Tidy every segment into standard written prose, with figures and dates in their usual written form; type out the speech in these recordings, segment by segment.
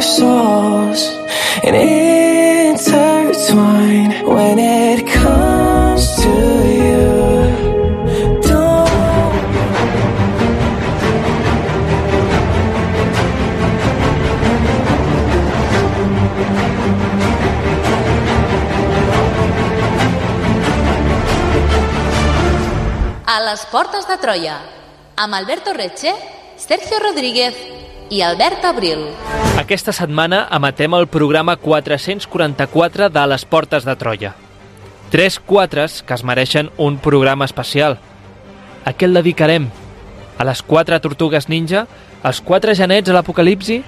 souls and intertwine when it comes to you. A les portes de Troia, amb Alberto Reche, Sergio Rodríguez i Albert Abril. Aquesta setmana emetem el programa 444 de les portes de Troia. 3 4s que es mereixen un programa especial. A què el dedicarem? A les 4 tortugues ninja? Als 4 genets a l'apocalipsi?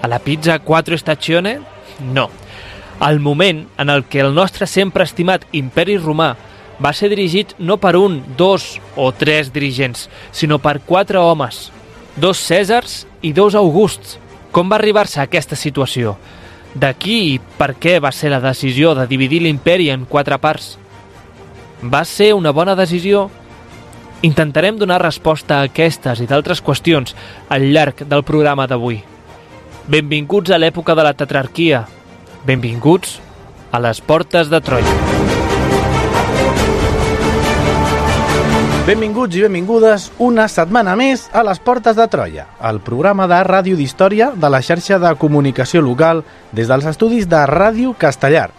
A la pizza 4 stagione? No. El moment en el què el nostre sempre estimat imperi romà va ser dirigit no per 1, 2 o 3 dirigents, sinó per 4 homes, 2 Cèsars i 2 Augusts. Com va arribar-se a aquesta situació? De qui i per què va ser la decisió de dividir l'imperi en 4 parts? Va ser una bona decisió? Intentarem donar resposta a aquestes i d'altres qüestions al llarg del programa d'avui. Benvinguts a l'època de la tetrarquia. Benvinguts a les portes de Troia. Benvinguts i benvingudes una setmana més a les Portes de Troia, el programa de ràdio d'història de la xarxa de comunicació local des dels estudis de Ràdio Castellar.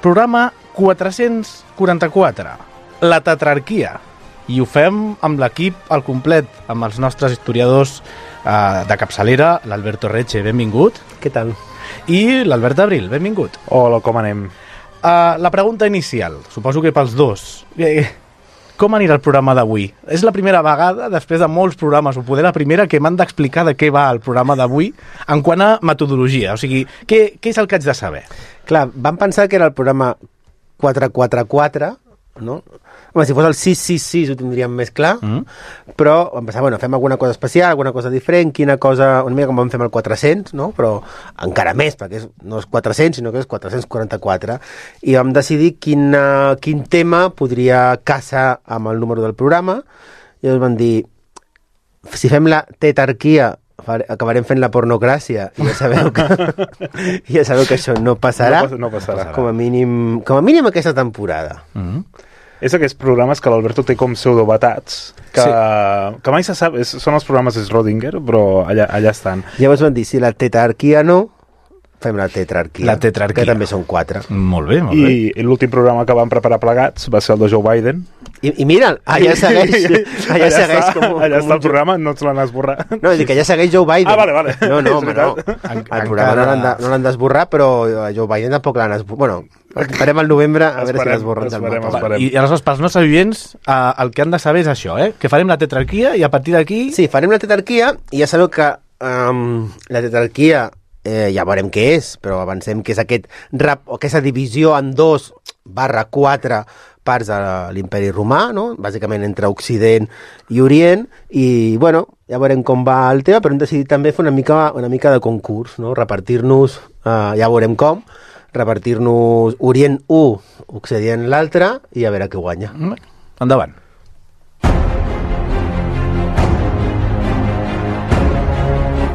Programa 444, la tetrarquia. I ho fem amb l'equip al complet, amb els nostres historiadors de capçalera, l'Alberto Reche, benvingut. Què tal? I l'Albert Abril, benvingut. Hola, com anem? La pregunta inicial, suposo que pels dos. Com anirà el programa d'avui? És la primera vegada, després de molts programes, o poder la primera, que m'han d'explicar de què va el programa d'avui en quant a metodologia. O sigui, què és el que haig de saber? Clar, vam pensar que era el programa 444, no? Home, si fos el 666 ho tindríem més clar, però vam pensar, bueno, fem alguna cosa especial, alguna cosa diferent, quina cosa, una mica com vam fer amb el 400, no? Però encara més, perquè no és 400, sinó que és 444, i vam decidir quin tema podria casar amb el número del programa, i llavors vam dir, si fem la tetrarquia, acabarem fent la pornogràcia, i ja sabeu que això no passarà, no passarà. Com a mínim aquesta temporada. És aquests programes que l'Alberto té com pseudovetats, que mai se sap, són els programes de Schrödinger, però allà estan. Llavors van dir, si la tetrarquia no, fem la tetrarquia. La tetrarquia. Que també són 4. Molt bé, molt bé. I l'últim programa que vam preparar plegats va ser el de Joe Biden. I mira'l, allà segueix. Allà segueix allà està el programa, no ens l'han esborrat. No, és dir que allà segueix Joe Biden. Ah, vale. No, home, no. El programa no l'han d'esborrar, però Joe Biden tampoc l'han esborrat. Bueno, esperem al novembre a veure si l'esborren del mapa. I aleshores, pels nostres oients, el que han de saber és això, que farem la tetrarquia i a partir d'aquí... Sí, farem la tetrarquia i ja sabeu que la tetrarquia ja veurem què és, però avancem que és aquesta divisió en 2/4 parts de l'imperi romà, no? Bàsicament entre Occident i Orient, i bueno, ja veurem com va el tema, però hem decidit també fer una mica de concurs, no? Repartir-nos, ja veurem com, repartir-nos Orient 1, Occident l'altre, i a veure què guanya. Endavant.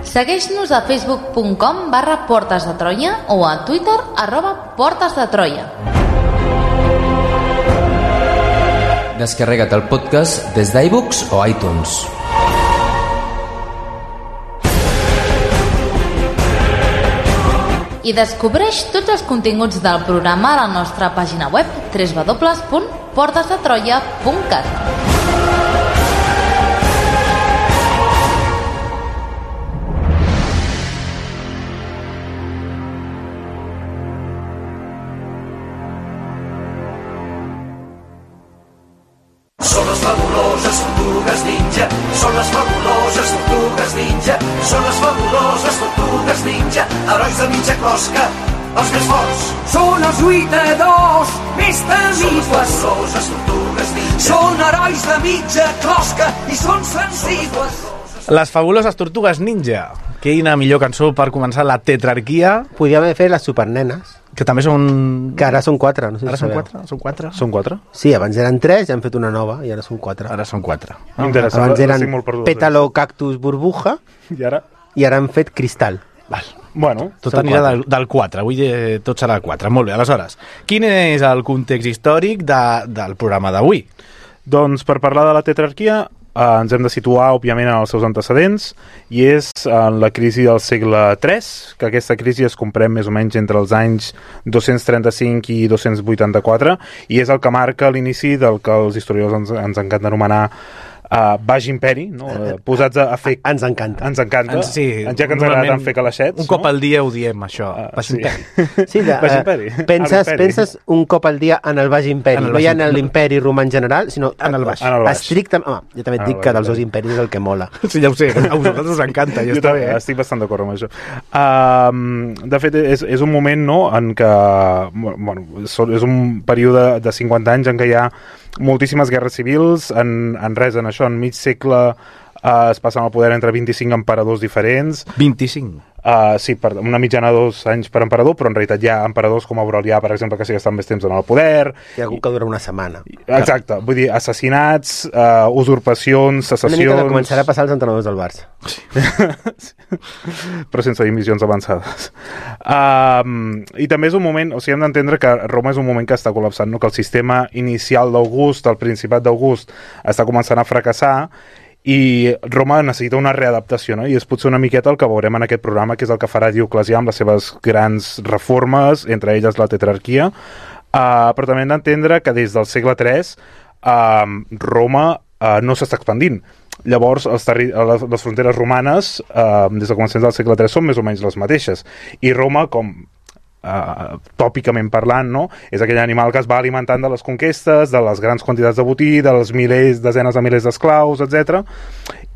Segueix-nos a facebook.com/Portes de Troia o a Twitter @Portes de Troia. Descarrega't el podcast des d'iVoox o iTunes. I descobreix tots els continguts del programa a la nostra pàgina web www.portesdetroia.cat. Són les fabuloses tortugues ninja, són les fabuloses tortugues ninja, són les fabuloses tortugues ninja, herois de mitja closca, els més forts. Són els lluitadors més temibles, són les fabuloses tortugues ninja, són herois de mitja closca i són sensibles. Les fabuloses tortugues ninja. Quina millor cançó per començar la tetrarquia. Podríem haver fet les supernenes. Que també són... Que ara són 4, no sé si ara són sabeu. 4? Són 4? Són 4? Sí, abans eren 3, ja han fet una nova i ara són 4. Ara són 4. Interessant. Abans eren Pétalo, Cactus, Burbuja i ara han fet Cristal. Val. Bueno, Tot anirà del 4, avui tot serà el 4. Molt bé, aleshores, quin és el context històric del programa d'avui? Doncs per parlar de la tetrarquia ens hem de situar, òbviament, en els seus antecedents, i és en la crisi del segle III, que aquesta crisi es comprèn més o menys entre els anys 235 i 284, i és el que marca l'inici del que els historiadors ens encanta anomenar Baix Imperi, no? Posats a fer... Ens encanta. Ens encanta. Sí, ja que ens agrada tant fer calaixets. Un cop al dia ho diem, això. Baix Imperi. Sí, Baix Imperi. Penses un cop al dia en el Baix Imperi. No hi ha en l'imperi romà en general, sinó en el Baix. Estrictament... jo també et dic que dels dos imperis és el que mola. Sí, ja ho sé, a vosaltres us encanta, ja està bé. Estic bastant d'acord amb això. De fet, és un moment, no?, en què... Bueno, és un període de 50 anys en què hi ha moltíssimes guerres civils, en això, en mig segle es passen al poder entre 25 emperadors diferents. 25? Sí, una mitjana de 2 anys per emperador, però en realitat hi ha emperadors com Aurelià, per exemple, que sí que estan més temps en el poder. Hi ha algú que dura una setmana. Exacte, vull dir, assassinats, usurpacions, secessions... Una mica que començarà a passar als entrenadors del Barça. Sí. Però sense dimissions avançades. I també és un moment, o sigui, hem d'entendre que Roma és un moment que està col·lapsant, no? Que el sistema inicial d'August, el Principat d'August, està començant a fracassar, i Roma necessita una readaptació, no? I és potser una miqueta el que veurem en aquest programa, que és el que farà Dioclecià amb les seves grans reformes, entre elles la tetrarquia, però també hem d'entendre que des del segle III Roma no s'està expandint. Llavors, les fronteres romanes, des de començaments del segle III, són més o menys les mateixes. I Roma, com tòpicament parlant, no?, és aquell animal que es va alimentant de les conquestes, de les grans quantitats de botí, de les desenes de milers d'esclaus, etc.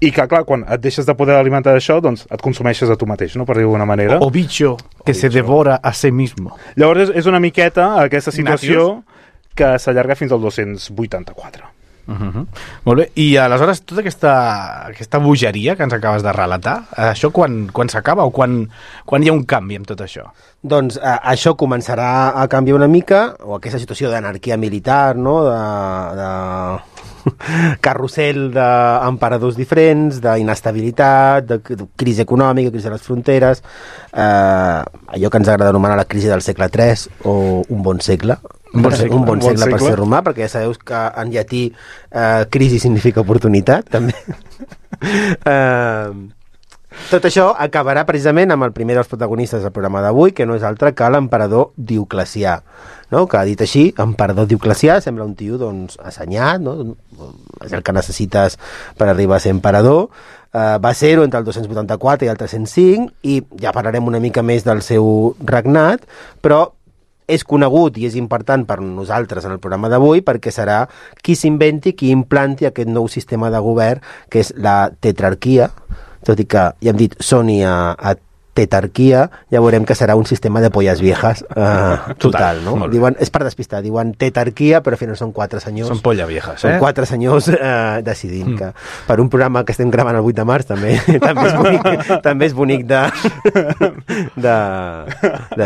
I que, clar, quan et deixes de poder alimentar d'això, doncs et consumeixes a tu mateix, no?, per dir d'alguna manera. O bicho que se devora a sí mismo. Llavors és una miqueta aquesta situació que s'allarga fins al 284. Molt bé, i aleshores tota aquesta bogeria que ens acabes de relatar, això quan s'acaba o quan hi ha un canvi amb tot això? Doncs això començarà a canviar una mica, o aquesta situació d'anarquia militar, no?, de carrusel d'emperadors diferents, d'inestabilitat, de crisi econòmica, crisi de les fronteres, allò que ens agrada anomenar la crisi del segle III o un bon segle. Un bon segle per ser romà, perquè ja sabeu que en llatí crisi significa oportunitat, també. Tot això acabarà precisament amb el primer dels protagonistes del programa d'avui, que no és altre que l'emperador Dioclecià, no? Que, dit així, emperador Dioclecià sembla un tio, doncs, assenyat, no? És el que necessites per arribar a ser emperador. Va ser-ho entre el 284 i el 305, i ja parlarem una mica més del seu regnat, però és conegut i és important per nosaltres en el programa d'avui perquè serà qui s'inventi, qui implanti aquest nou sistema de govern, que és la tetrarquia, tot i que ja hem dit soni a tetarquia, ja veurem que serà un sistema de polles viejas total, no? Diuen, és per despistar, diuen tetarquia, però al final són 4 senyors. Són polles viejas, Són 4 senyors decidint que per un programa que estem gravant el 8 de març també és bonic de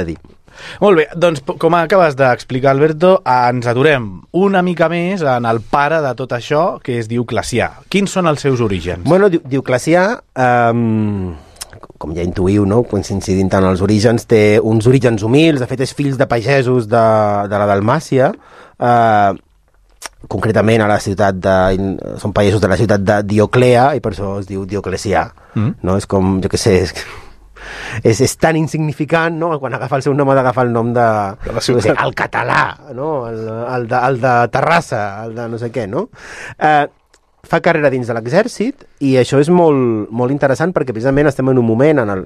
dir. Molt bé, doncs com acabes d'explicar, Alberto, ens aturem una mica més en el pare de tot això, que és Dioclecià. Quins són els seus orígens? Bueno, Dioclecià, com ja intuïu, no?, coincidint en els orígens, té uns orígens humils, de fet és fills de pagesos de la Dalmàcia, concretament a la ciutat són pagesos de la ciutat de Dioclea, i per això es diu Dioclecià, no? És com, jo què sé, és tan insignificant, no?, quan agafa el seu nom ha d'agafar el nom de la ciutat, el català, no?, el de Terrassa, el de no sé què, no? Fa carrera dins de l'exèrcit, i això és molt, molt interessant perquè precisament estem en un moment, al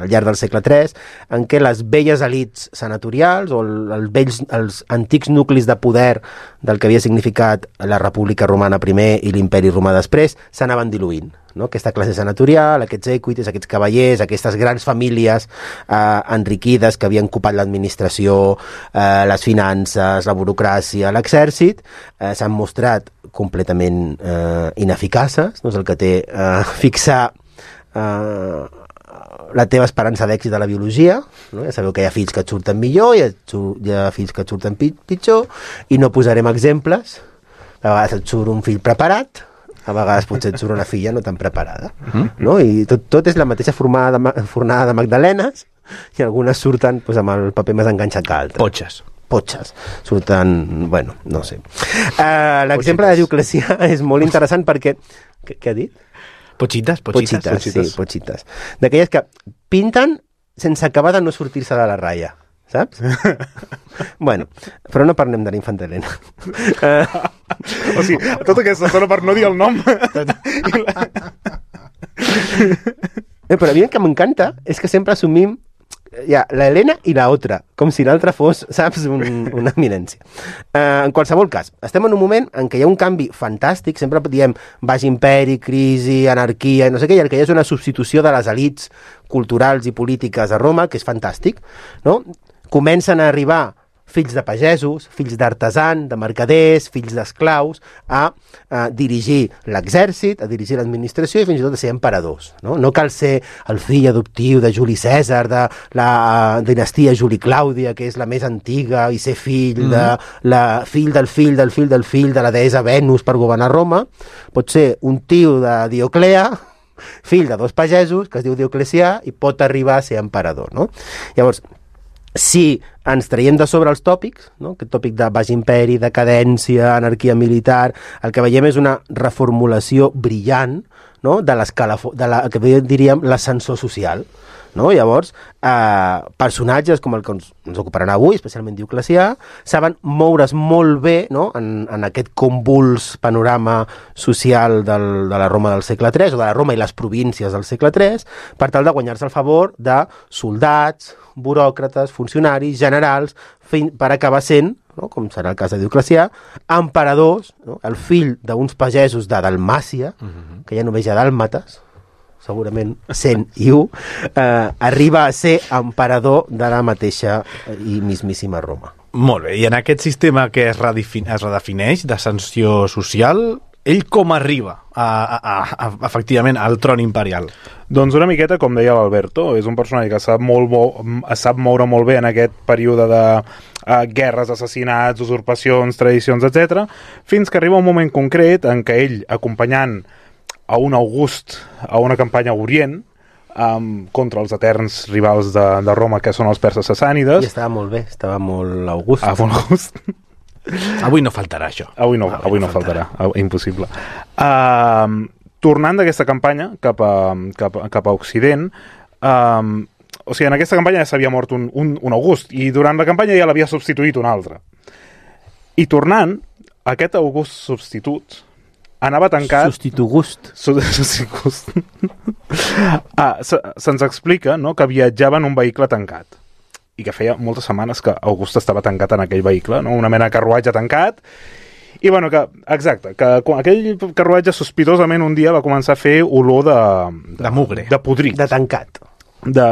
llarg del segle III, en què les velles elits senatorials o els antics nuclis de poder del que havia significat la República Romana primer i l'Imperi Romà després s'anaven diluint, no? Aquesta classe senatorial, aquests equites, aquests cavallers, aquestes grans famílies enriquides que havien ocupat l'administració, les finances, la burocràcia, l'exèrcit, s'han mostrat completament ineficaces, no és el que té fixar la teva esperança d'èxit a la biologia, no? Ja sabeu que hi ha fills que et surten millor, hi ha fills que et surten pitjor, i no posarem exemples. A vegades et surt un fill preparat, a vegades potser et surt una filla no tan preparada, no? I tot és la mateixa fornada de magdalenes, i algunes surten doncs, amb el paper més enganxat que altres. Potxes. Surten, bueno, no sé. L'exemple de Dioclecià és molt interessant perquè... Què ha dit? Potxites. Sí, potxites. D'aquelles que pinten sense acabar de no sortir-se de la ratlla, saps? Bueno, però no parlem de l'Infanta Elena. O sigui, tota aquesta zona per no dir el nom. Però a mi el que m'encanta és que sempre assumim la Helena i la otra, com si l'altra fos, saps, una eminència. En qualsevol cas, estem en un moment en què hi ha un canvi fantàstic, sempre diem baix imperi, crisi, anarquia, no sé què, i el que hi ha és una substitució de les elits culturals i polítiques a Roma, que és fantàstic, no? Comencen a arribar fills de pagesos, fills d'artesans, de mercaders, fills d'esclaus, a dirigir l'exèrcit, a dirigir l'administració i fins i tot a ser emperadors. No cal ser el fill adoptiu de Juli Cèsar, de la dinastia Juli Clàudia, que és la més antiga, i ser fill del fill de la deessa Venus per governar Roma. Pot ser un tio de Dioclea, fill de dos pagesos, que es diu Dioclecià, i pot arribar a ser emperador. No? Llavors, si ens traiem de sobre els tòpics, no? Aquest tòpic de baix imperi, decadència, anarquia militar, el que veiem és una reformulació brillant, no? de que diríem l'ascensor social. No? Llavors, personatges com el que ens ocuparan avui, especialment Dioclecià, saben moure's molt bé, no? en aquest convuls panorama social de la Roma del segle III, o de la Roma i les províncies del segle III, per tal de guanyar-se el favor de soldats, buròcrates, funcionaris, generals, per acabar sent, no? com serà el cas de Dioclecià, emperadors, no? El fill d'uns pagesos de Dalmàcia, que ja només hi ha dàlmates, segurament 101, arriba a ser emperador de la mateixa i mismíssima Roma. Molt bé, i en aquest sistema que es redefineix d'ascensió social, ell com arriba efectivament al tron imperial? Doncs una miqueta, com deia l'Alberto, és un personatge que sap moure molt bé en aquest període de guerres, assassinats, usurpacions, tradicions, etc., fins que arriba un moment concret en què ell, acompanyant a un August a una campanya a Orient contra els eterns rivals de Roma, que són els perses sassànides. I estava molt bé, estava molt August. Molt August. Avui no faltarà això. Avui no faltarà. Impossible. Tornant d'aquesta campanya cap a Occident, o sigui, en aquesta campanya ja s'havia mort un August, i durant la campanya ja l'havia substituït un altre. I tornant, aquest August substitut anava tancat... Substitugust. Se'ns explica, no?, que viatjava en un vehicle tancat i que feia moltes setmanes que August estava tancat en aquell vehicle, no?, una mena de carruatge tancat, i bueno, que aquell carruatge sospitosament un dia va començar a fer olor de mugre, de podrit, de tancat,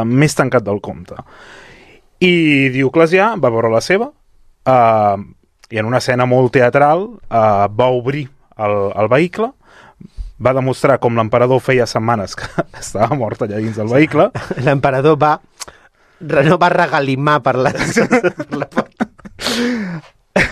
més tancat del compte. I Dioclecià va veure la seva i en una escena molt teatral va obrir el vehicle, va demostrar com l'emperador feia setmanes que estava mort allà dins del vehicle. L'emperador no va regalimar per la porta.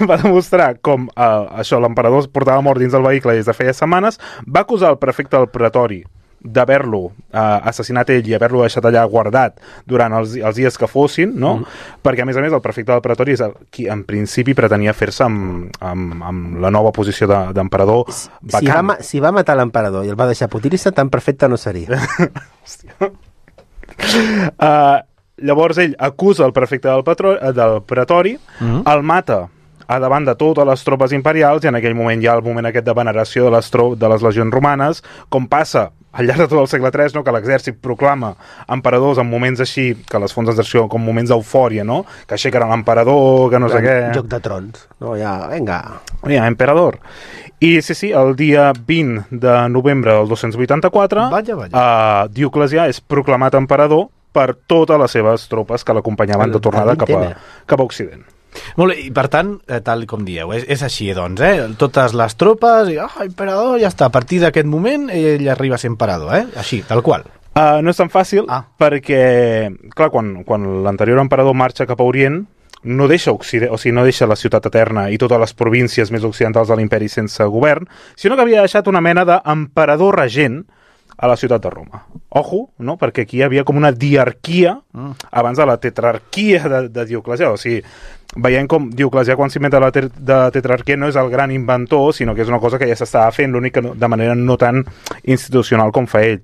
Va demostrar com l'emperador portava mort dins del vehicle des de feia setmanes, va acusar el prefecte del pretori d'haver-lo assassinat ell i haver-lo deixat allà guardat durant els dies que fossin, no? Perquè a més el prefecte del pretori és el qui en principi pretenia fer-se amb la nova posició d'emperador vacant. Si va matar l'emperador i el va deixar putir-se, tan perfecte no seria. Llavors ell acusa el prefecte del pretori, el mata a davant de totes les tropes imperials, i en aquell moment hi ha el moment aquest de veneració de les legions romanes, com passa al llarg de tot el segle III, no?, que l'exèrcit proclama emperadors en moments així, que les fonts d'exerció com moments d'eufòria, no?, que aixequen l'emperador, que no sé què... Joc de trons. No, ja, vinga. Ja, emperador. I sí, el dia 20 de novembre del 284, Dioclecià és proclamat emperador per totes les seves tropes que l'acompanyaven de tornada cap a Occident. Molt bé, i per tant, tal com dieu, és així, doncs, totes les tropes, emperador, ja està, a partir d'aquest moment ell arriba a ser emperador, així, tal qual. No és tan fàcil, perquè, clar, quan l'anterior emperador marxa cap a Orient, no deixa Occident, o sigui, no deixa la ciutat eterna i totes les províncies més occidentals de l'imperi sense govern, sinó que havia deixat una mena d'emperador regent a la ciutat de Roma. Ojo, no? Perquè aquí hi havia com una diarquia abans de la tetrarquia de Dioclecià. O sigui, veiem com Dioclecià, quan s'inventa la tetrarquia, no és el gran inventor, sinó que és una cosa que ja s'estava fent, l'únic que de manera no tan institucional com fa ell.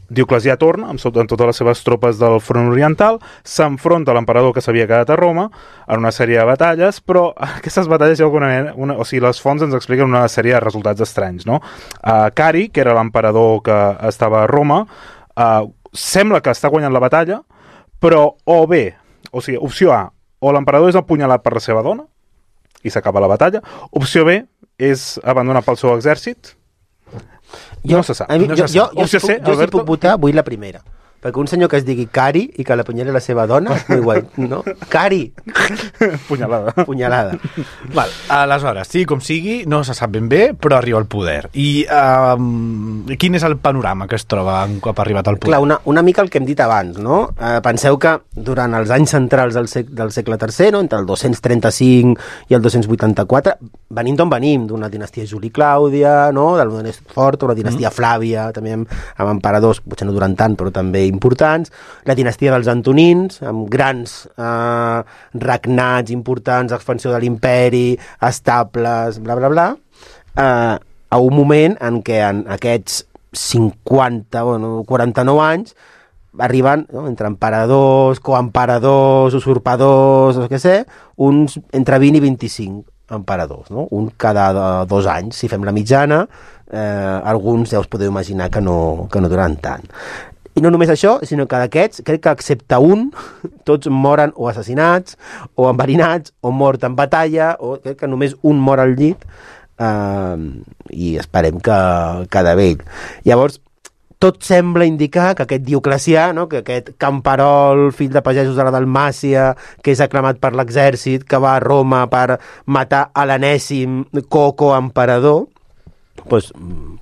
Dioclecià torna amb totes les seves tropes del front oriental, s'enfronta a l'emperador que s'havia quedat a Roma en una sèrie de batalles, però aquestes batalles o sigui, les fonts ens expliquen una sèrie de resultats estranys, no? Cari, que era l'emperador que estava a Roma, sembla que està guanyant la batalla, però o bé, o sigui, opció A, o l'emperador és apunyalat per la seva dona i s'acaba la batalla, opció B és abandonat pel seu exèrcit. No se sap. Jo si puc votar, vull la primera. Perquè un senyor que es digui Cari i que l'apunyali la seva dona és molt guai, no? Cari! Punyalada. Val, aleshores, sigui com sigui, no se sap ben bé, però arriba al poder. I quin és el panorama que es troba un cop arribat al poder? Clar, una mica el que hem dit abans, no? Penseu que durant els anys centrals del segle III, no? Entre el 235 i el 284, venim d'on venim, d'una dinastia Juli-Clàudia, no? Del Modest Fort, o la dinastia Flàvia, també amb emperadors, potser no durant tant, però també importants, la dinastia dels Antonins, amb grans regnats importants, expansió de l'imperi, estables, bla, bla, bla, a un moment en què en aquests 49 anys arriben, no, entre emperadors, coemperadors, usurpadors, no sé, uns entre 20 i 25 emperadors, no? Un cada 2 anys. Si fem la mitjana, alguns ja us podeu imaginar que no duran tant. I no només això, sinó que d'aquests, crec que excepte un, tots moren o assassinats, o enverinats, o mort en batalla, o crec que només un mor al llit, i esperem que de vell. Llavors, tot sembla indicar que aquest Dioclecià, no? Que aquest camperol, fill de pagesos de la Dalmàcia, que és aclamat per l'exèrcit, que va a Roma per matar a l'enèsim coco-emperador, pues,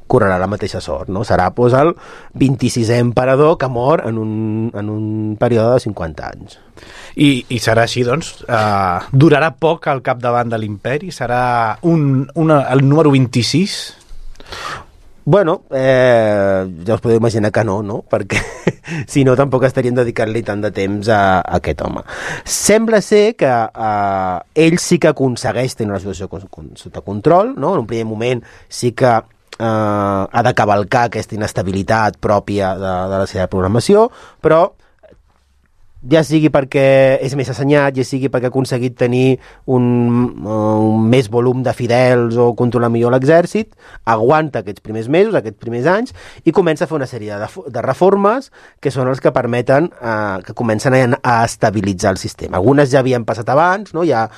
correrà la mateixa sort, no? Serà pues, el 26è emperador que mor en un període de 50 anys. I serà així, doncs? Durarà poc al capdavant de l'imperi? Serà el número 26? Bueno, ja us podeu imaginar que no? Perquè si no tampoc estaríem dedicant-li tant de temps a aquest home. Sembla ser que ell sí que aconsegueix tenir una situació sota control, no? En un primer moment sí que ha de cavalcar aquesta inestabilitat pròpia de la seva programació, però ja sigui perquè és més assenyat, ja sigui perquè ha aconseguit tenir un més volum de fidels o controlar millor l'exèrcit, aguanta aquests primers mesos, aquests primers anys, i comença a fer una sèrie de reformes que són els que permeten que comencen a estabilitzar el sistema. Algunes ja havien passat abans, no? Hi ha,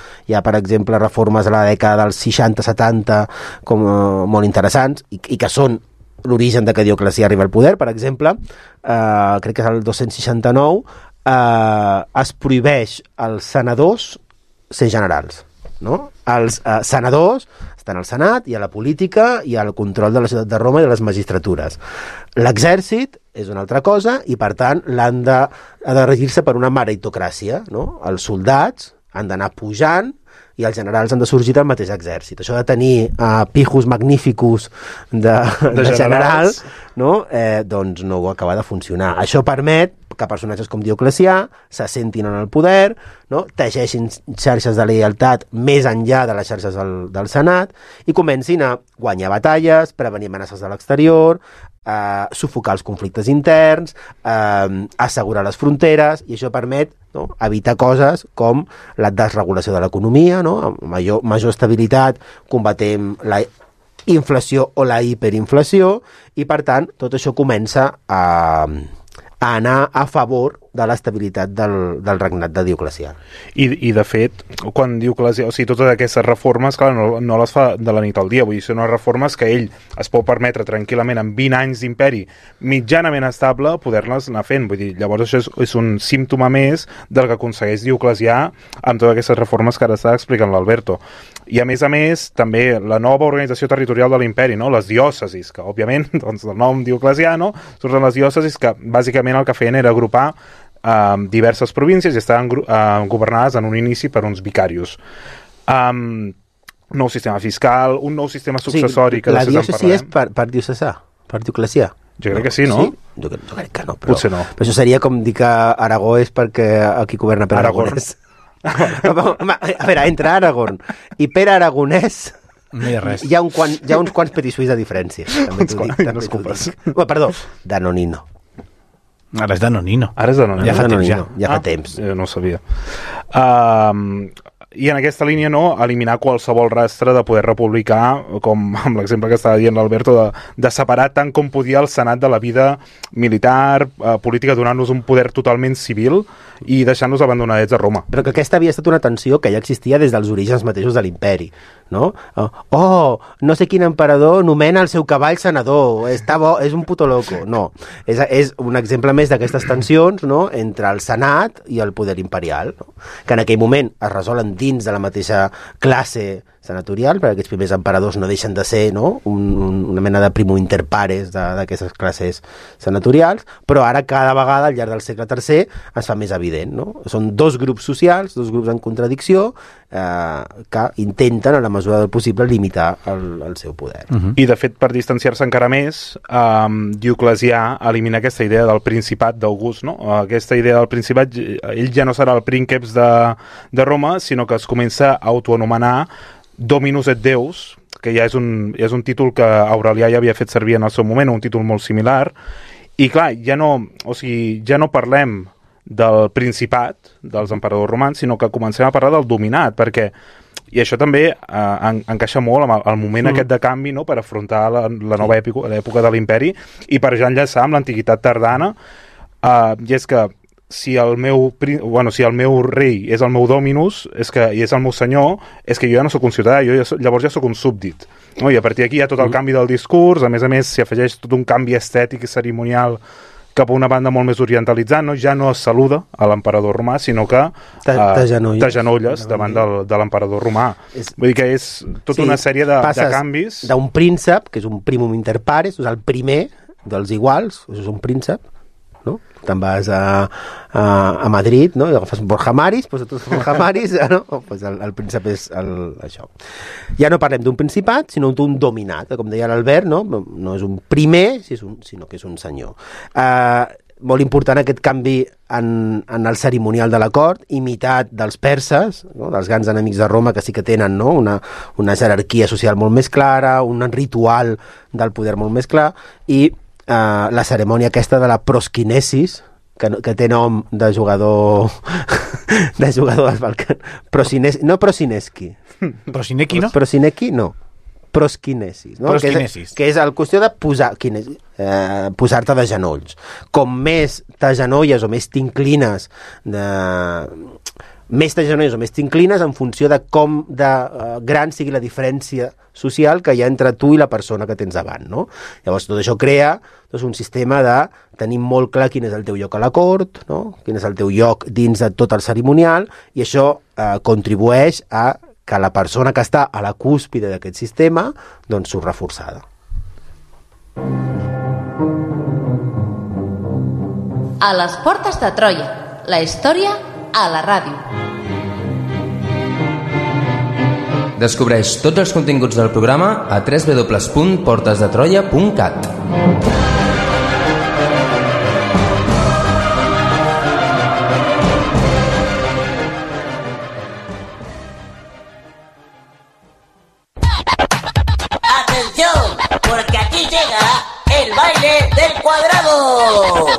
per exemple, reformes a la dècada dels 60-70 molt interessants i que són l'origen de que Dioclecià arriba al poder. Per exemple, crec que és el 269, es prohibeix als senadors ser generals, no? Els senadors estan al Senat i a la política i al control de la ciutat de Roma i de les magistratures. L'exèrcit és una altra cosa i, per tant, ha de regir-se per una meritocràcia, no? Els soldats han d'anar pujant i els generals han de sorgir del mateix exèrcit. Això de tenir pijos magníficos de generals, no? Doncs no acaba de funcionar. Això permet que personatges com Dioclecià s'assentin en el poder, no? Teixeixin xarxes de lleialtat més enllà de les xarxes del Senat i comencin a guanyar batalles, prevenir amenaces de l'exterior, sufocar els conflictes interns, assegurar les fronteres, i això permet, no, evitar coses com la desregulació de l'economia, no? Amb major estabilitat combatem la inflació o la hiperinflació, i per tant tot això comença a anar a favor de l'estabilitat del regnat de Dioclecià. I de fet, quan Dioclecià, o sigui, totes aquestes reformes, clar, no les fa de la nit al dia, vull dir, són unes reformes que ell es pot permetre tranquil·lament en 20 anys d'imperi mitjanament estable poder-les anar fent, vull dir, llavors això és un símptoma més del que aconsegueix Dioclecià amb totes aquestes reformes que ara està explicant l'Alberto. I a més, també la nova organització territorial de l'imperi, no? Les diòcesis, que òbviament, doncs, del nom Dioclecià, no? Surten les diòcesis que bàsicament el que feien era agrupar diverses províncies i estaven governades en un inici per uns vicarius. nou sistema fiscal, un nou sistema successori que la després en diòcesi és parlarem. per diocesà, per dioclecià. Jo crec que sí, no? Sí? Jo crec que no, però... Potser no. Però això seria com dir que Aragó és perquè aquí governa Pere Aragonès. Home, a veure, entre Aragón i Pere Aragonès No hi ha res. hi ha uns quants petisuís de diferència. També t'ho dic. També t'ho dic. Perdó, Danonino. Ara és Danonino. Ara és Danonino. Ja fa temps, ja. Ja fa temps. No ho sabia. I en aquesta línia, no, eliminar qualsevol rastre de poder republicà, com amb l'exemple que estava dient l'Alberto, de separar tant com podia el Senat de la vida militar, política, donant-nos un poder totalment civil i deixant-nos abandonadets a Roma. Però que aquesta havia estat una tensió que ja existia des dels orígens mateixos de l'imperi, no? No sé quin emperador nomena el seu cavall senador, està bo, és un puto loco. No, és un exemple més d'aquestes tensions, no?, entre el Senat i el poder imperial, no? Que en aquell moment es resolen dins de la mateixa classe senatorial, perquè aquests primers emperadors no deixen de ser, no?, una mena de primo inter pares d'aquestes classes senatorials, però ara cada vegada al llarg del segle III es fa més evident, no? Són dos grups socials, dos grups en contradicció, que intenten, a la mesura del possible, limitar el seu poder. I, de fet, per distanciar-se encara més, Dioclecià elimina aquesta idea del principat d'August, no? Aquesta idea del principat, ell ja no serà el prínceps de Roma, sinó que es comença a autoanomenar Dominus et Deus, que ja és un títol que Aurelià ja havia fet servir en el seu moment, un títol molt similar, i clar, ja no parlem del principat dels emperadors romans, sinó que comencem a parlar del dominat, perquè, i això també encaixa molt amb el moment aquest de canvi, no?, per afrontar la nova època de l'imperi, i per ja enllaçar amb l'antiguitat tardana, i és que si el meu rei és el meu dominus i és el meu senyor, és que jo ja no sóc un ciutadà, llavors ja sóc un súbdit, no? I a partir d'aquí hi ha tot el canvi del discurs, a més s'hi afegeix tot un canvi estètic i cerimonial cap a una banda molt més orientalitzant, no? Ja no es saluda a l'emperador romà, sinó que t'agenolles davant de l'emperador romà. Vull dir que és tota una sèrie de canvis. D'un príncep, que és un primum inter pares, és el primer dels iguals, és un príncep, no? Te'n vas a Madrid, no?, i agafes Borja Maris, doncs tots Borja Maris, no? Pues el príncep és això. Ja no parlem d'un principat, sinó d'un dominat, com deia l'Albert, no? No és un primer, sinó que és un senyor. Molt important aquest canvi en el cerimonial de la cort, imitat dels perses, no?, dels grans enemics de Roma, que sí que tenen, no?, una jerarquia social molt més clara, un ritual del poder molt més clar, i la cerimònia aquesta de la prosquinesis, que té nom de jugador dels Balcans. No Prosineski. Prosineki, no? Prosineki, no. Prosquinesis, no? Prosquinesis. Que és el qüestió de posar-te de genolls. Com més t'agenolles o més t'inclines en funció de com de gran sigui la diferència social que hi ha entre tu i la persona que tens davant, no? Llavors tot això crea un sistema de tenir molt clar quin és el teu lloc a la cort, no?, quin és el teu lloc dins de tot el cerimonial, i això contribueix a que la persona que està a la cúspide d'aquest sistema doncs surt reforçada. A les portes de Troia, la història a la ràdio. Descobreix tots els continguts del programa a www.portesdetroia.cat. ¡Atención! Porque aquí llega el baile del cuadrado.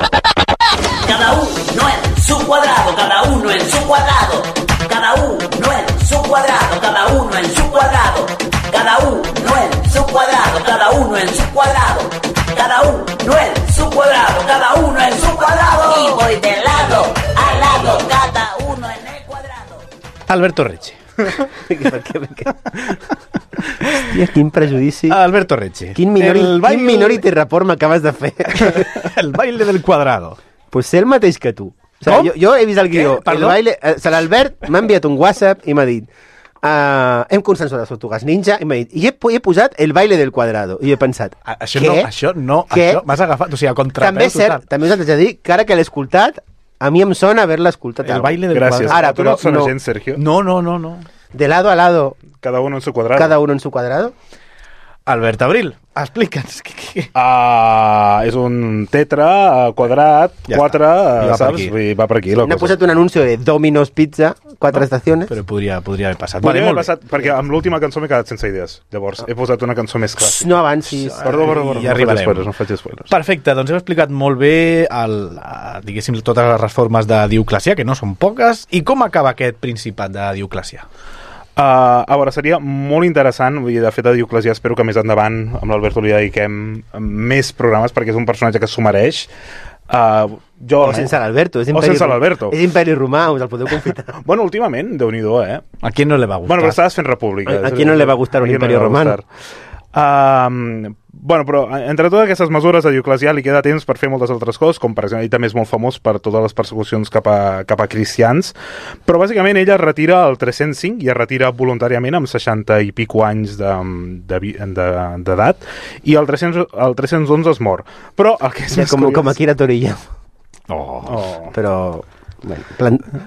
Cada uno en su cuadrado, cada uno en su cuadrado. Cada uno en su cuadrado, cada uno en su cuadrado. Cada uno en su cuadrado, cada uno en su cuadrado. Cada uno en su cuadrado, cada uno en su cuadrado. Y voy de lado a lado, cada uno en el cuadrado. Alberto Reche. Hòstia, quin prejudici. Alberto Reche. Quin Minority Report m'acabes de fer. El baile del cuadrado. Pues sé el mateix que tu. O sigui, jo he vist el guió. L'Albert m'ha enviat un WhatsApp i m'ha dit hem consensuat les tortugues ninja i m'ha dit, i he posat el baile del cuadrado. I he pensat, això m'has agafat, o sigui, a contrapeu. També és cert, també us haig de dir que ara que l'he escoltat, a mi em sona haver-la escoltat. El baile del cuadrado. Gràcies. Ara, tu no et sona gens, Sergio? No. de lado a lado, Cada uno en su cuadrado. cada uno en su cuadrado. Albert Abril, explica'ns. És un tetra quadrat, Ja 4, està. I va per saps? aquí. Vull dir, va per aquí la N'ha cosa. posat un anuncio de Domino's Pizza, 4 estaciones. Però podria haver passat. Podria haver molt bé. passat, perquè amb l'última cançó m'he quedat sense idees. Llavors, he posat una cançó més clàssica. No avancis. Perdó, Ja arribarem. no faig spoilers. Perfecte, doncs heu explicat molt bé diguéssim, totes les reformes de Dioclecià, que no són poques, i com acaba aquest principat de Dioclecià? A veure, seria molt interessant, vull dir, de fet a Dioclecià espero que més endavant amb l'Alberto li dediquem més programes perquè és un personatge que s'ho mereix. O sense l'Alberto. És És Imperi Romà, us el podeu confitar. Bueno, últimament, Déu-n'hi-do, eh? A qui no le va gustar? Bueno, però estaves fent república. A qui no le va gustar un Imperi Romà? Bueno, però entre totes aquestes mesures a Dioclecià li queda temps per fer moltes altres coses, com per exemple, ell també és molt famós per totes les persecucions cap a cristians, però bàsicament ella es retira al 305 i es retira voluntàriament amb 60 i pico anys d'edat, i el 311 es mor. Però el que és més curiós... Com Akira Toriyama. Però... Bueno,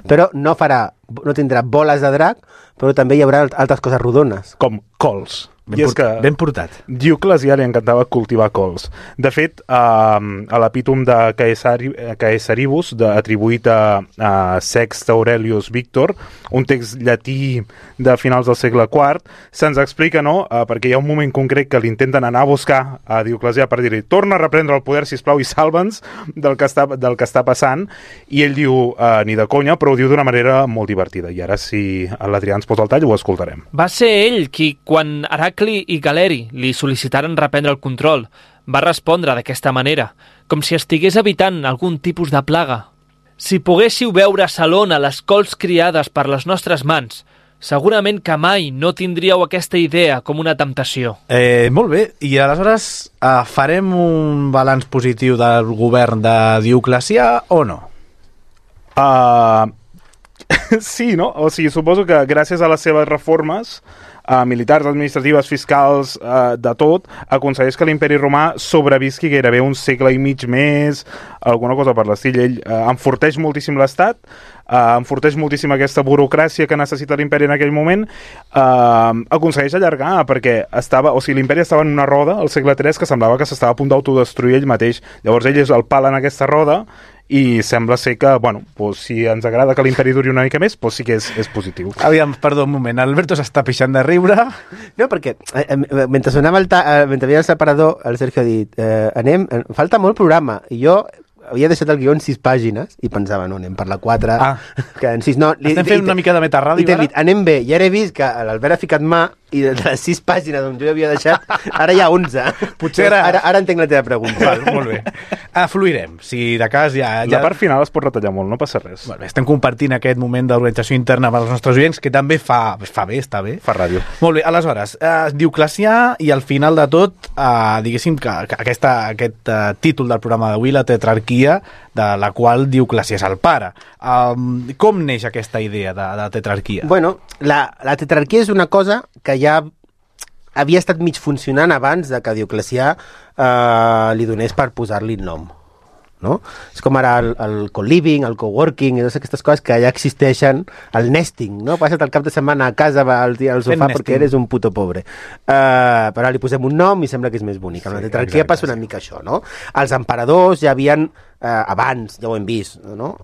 però no tindrà boles de drac, però també hi haurà altres coses rodones. Com cols. Ben portat. Dioclecià li encantava cultivar cols. De fet, a l'epítom de Caesaribus, atribuït a Sext Aurelius Victor, un text llatí de finals del segle IV, se'ns explica, no?, perquè hi ha un moment concret que l'intenten anar a buscar a Dioclecià per dir-li torna a reprendre el poder, sisplau, i salva'ns del que està passant, i ell diu, ni de conya, però ho diu d'una manera molt divertida. I ara, si l'Adrià ens posa el tall, ho escoltarem. Va ser ell qui, quan Heracli i Galeri li sol·licitaren reprendre el control, va respondre d'aquesta manera, com si estigués evitant algun tipus de plaga. Si poguéssiu veure a Salona les cols criades per les nostres mans, segurament que mai no tindríeu aquesta idea com una temptació. Molt bé, i aleshores farem un balanç positiu del govern de Dioclecià o no? Sí, no? O sigui, suposo que gràcies a les seves reformes militars, administratives, fiscals, de tot, aconsegueix que l'imperi romà sobrevisqui gairebé un segle i mig més, alguna cosa per l'estil. Ell enforteix moltíssim l'estat, enforteix moltíssim aquesta burocràcia que necessita l'imperi en aquell moment, aconsegueix allargar, perquè l'imperi estava en una roda al segle III que semblava que s'estava a punt d'autodestruir ell mateix. Llavors ell és el pal en aquesta roda i sembla ser que, si ens agrada que l'imperi duri una mica més, sí que és positiu. Aviam, perdó un moment, Alberto s'està pixant de riure. No, perquè mentre sonava mentre havia el separador, el Sergio ha dit falta molt programa, i jo havia deixat el guió en 6 pàgines i pensava, no, anem per la 4 que en 6 no. Estem fent una mica de metarràdio, i t'he dit, anem bé, i ara he vist que l'Albert ha ficat mà i de les 6 pàgines on jo havia deixat, ara hi ha 11. Potser ara entenc la teva pregunta. Molt bé. Fluirem. Si de cas ja... La part final es pot retallar molt, no passa res. Molt bé, estem compartint aquest moment d'organització interna amb els nostres oients, que també fa bé, està bé. Fa ràdio. Molt bé, aleshores, Dioclecià, i al final de tot, diguéssim que aquest títol del programa d'avui, la tetrarquia, de la qual Dioclecià és el pare. Com neix aquesta idea de tetrarquia? Bueno, la tetrarquia és una cosa que ja havia estat mig funcionant abans de que Dioclecià li donés per posar-li nom. No? És com ara el co-living, el co-working, i totes aquestes coses que ja existeixen, el nesting, no? Passa't el cap de setmana a casa al sofà perquè eres un puto pobre. Però li posem un nom i sembla que és més bonic. Amb la tetrarquia passa una mica això, no? Els emperadors ja havien abans, ja ho hem vist, no?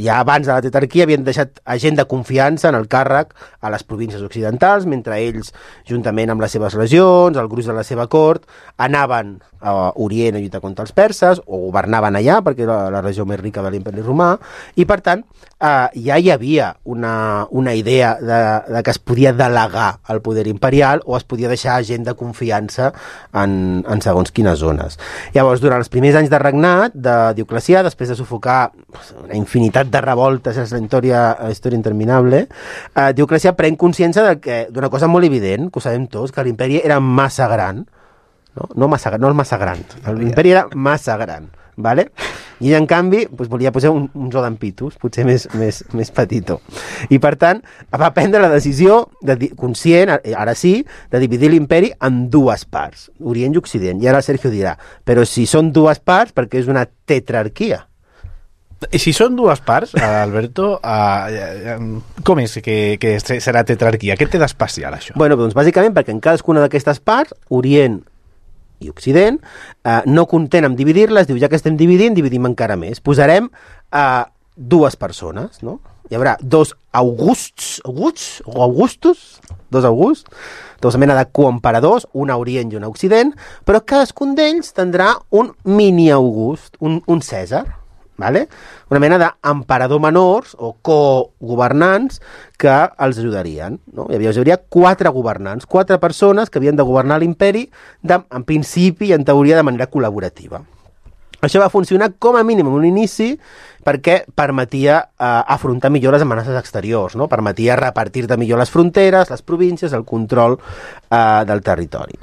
Ja abans de la tetrarquia havien deixat gent de confiança en el càrrec a les províncies occidentals, mentre ells, juntament amb les seves legions, el gruix de la seva cort, anaven a Orient a lluitar contra els perses, o governaven allà, perquè era la regió més rica de l'imperi romà, i per tant ja hi havia una idea de que es podia delegar el poder imperial o es podia deixar gent de confiança en segons quines zones. Llavors, durant els primers anys de regnat de Dioclecià, després de sufocar una infinitat de revoltes, és la història interminable, Dioclecià pren consciència d'una cosa molt evident, que ho sabem tots, que l'imperi era massa gran, no el massa gran, l'imperi era massa gran, vale? I en canvi volia posar un zoo d'ampitos, potser més petitó. I per tant va prendre la decisió conscient, ara sí, de dividir l'imperi en 2 parts, Orient i Occident. I ara Sergio dirà, però si són 2 parts, perquè és una tetrarquia. I si són dues parts, Alberto, com és que serà tetrarquia? Què té d'especial, això? Bueno, doncs bàsicament perquè en cadascuna d'aquestes parts, Orient i Occident, no content amb dividir-les, diu, ja que estem dividint, dividim encara més. Posarem dues persones, no? Hi haurà dos Augusts, dos mena de coemperadors, un a Orient i un a Occident, però cadascun d'ells tindrà un mini-August, un Cèsar, vale? Una mena d'emperador menors o co-governants que els ajudarien. No? Hi hauria 4 governants, 4 persones que havien de governar l'imperi en principi i en teoria de manera col·laborativa. Això va funcionar com a mínim en un inici perquè permetia afrontar millor les amenaces exteriors, no? Permetia repartir-te millor les fronteres, les províncies, el control del territori.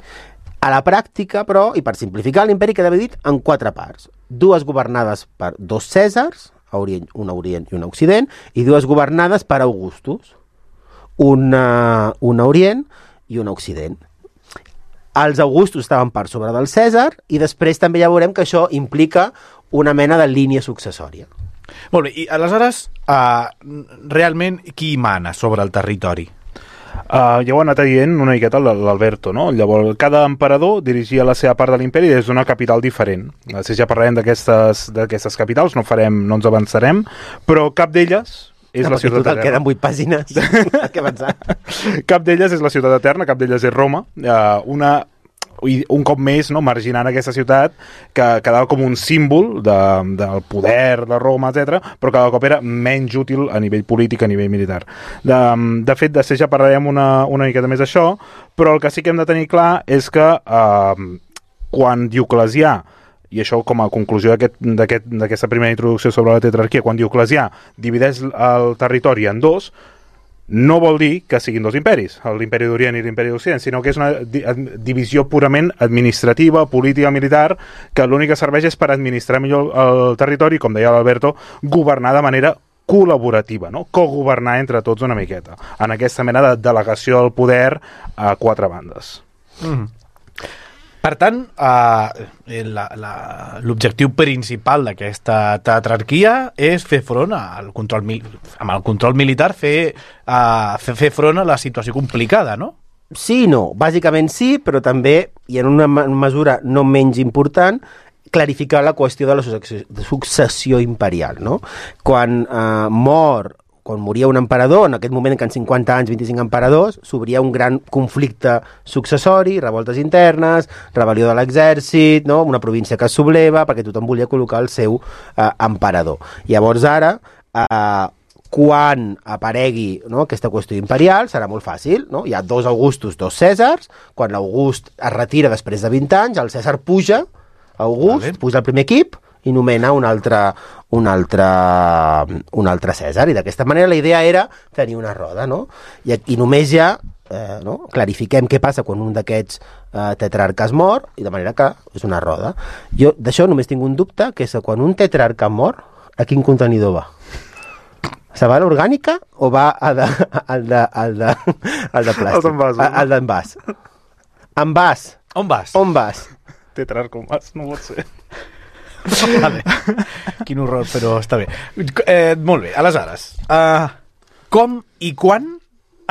A la pràctica, però, i per simplificar, l'imperi queda dividit en 4 parts. 2 governades per 2 Cèsars, un a Orient i un a Occident, i 2 governades per Augustus, un a Orient i un a Occident. Els Augustus estaven per sobre del Cèsar i després també ja veurem que això implica una mena de línia successòria. Molt bé, i aleshores, realment, qui mana sobre el territori? Ja ho ha anat dient una miqueta l'Alberto, no? Llavors, cada emperador dirigia la seva part de l'imperi des d'una capital diferent. Si ja parlarem d'aquestes capitals, no ens avançarem, però cap d'elles és la ciutat eterna. Queden 8 pàgines. Què pensar? Cap d'elles és la ciutat eterna, cap d'elles és Roma. Un cop més, no, marginant aquesta ciutat que quedava com un símbol del poder de Roma, etc, però cada cop era menys útil a nivell polític, a nivell militar. De fet, després ja parlarem una miqueta més d'això, però el que sí que hem de tenir clar és que quan Dioclecià, i això com a conclusió d'aquesta primera introducció sobre la tetrarquia, quan Dioclecià divideix el territori en 2, no vol dir que siguin 2 imperis, l'imperi d'Orient i l'imperi d'Occident, sinó que és una divisió purament administrativa, política, militar, que l'únic que serveix és per administrar millor el territori, com deia l'Alberto, governar de manera col·laborativa, no? Cogovernar entre tots una miqueta, en aquesta mena de delegació del poder a 4 bandes. Per tant, l'objectiu principal d'aquesta tetrarquia és fer front amb el control militar, fer front a la situació complicada, no? Sí i no. Bàsicament sí, però també, i en una mesura no menys important, clarificar la qüestió de la successió imperial, no? Quan moria un emperador, en aquest moment que en 50 anys, 25 emperadors, s'obria un gran conflicte successori, revoltes internes, rebel·lió de l'exèrcit, no? Una província que es subleva, perquè tothom volia col·locar el seu emperador. Llavors ara, quan aparegui, no, aquesta qüestió imperial, serà molt fàcil, no? Hi ha 2 Augustus, 2 Cèsars, quan l'August es retira després de 20 anys, el Cèsar puja, puja al primer equip, i nomena un altre Cèsar, i d'aquesta manera la idea era tenir una roda, no? I només ja clarifiquem què passa quan un d'aquests tetrarques mor, i de manera que és una roda. Jo d'això només tinc un dubte, que és que quan un tetrarca mor, a quin contenidor va? Se va a l'orgànica o va al de plàstic? Al d'envàs. Envàs. On vas? Tetrarca on vas, no pot ser. Vale. Quin horror, però està bé. Molt bé, aleshores, com i quan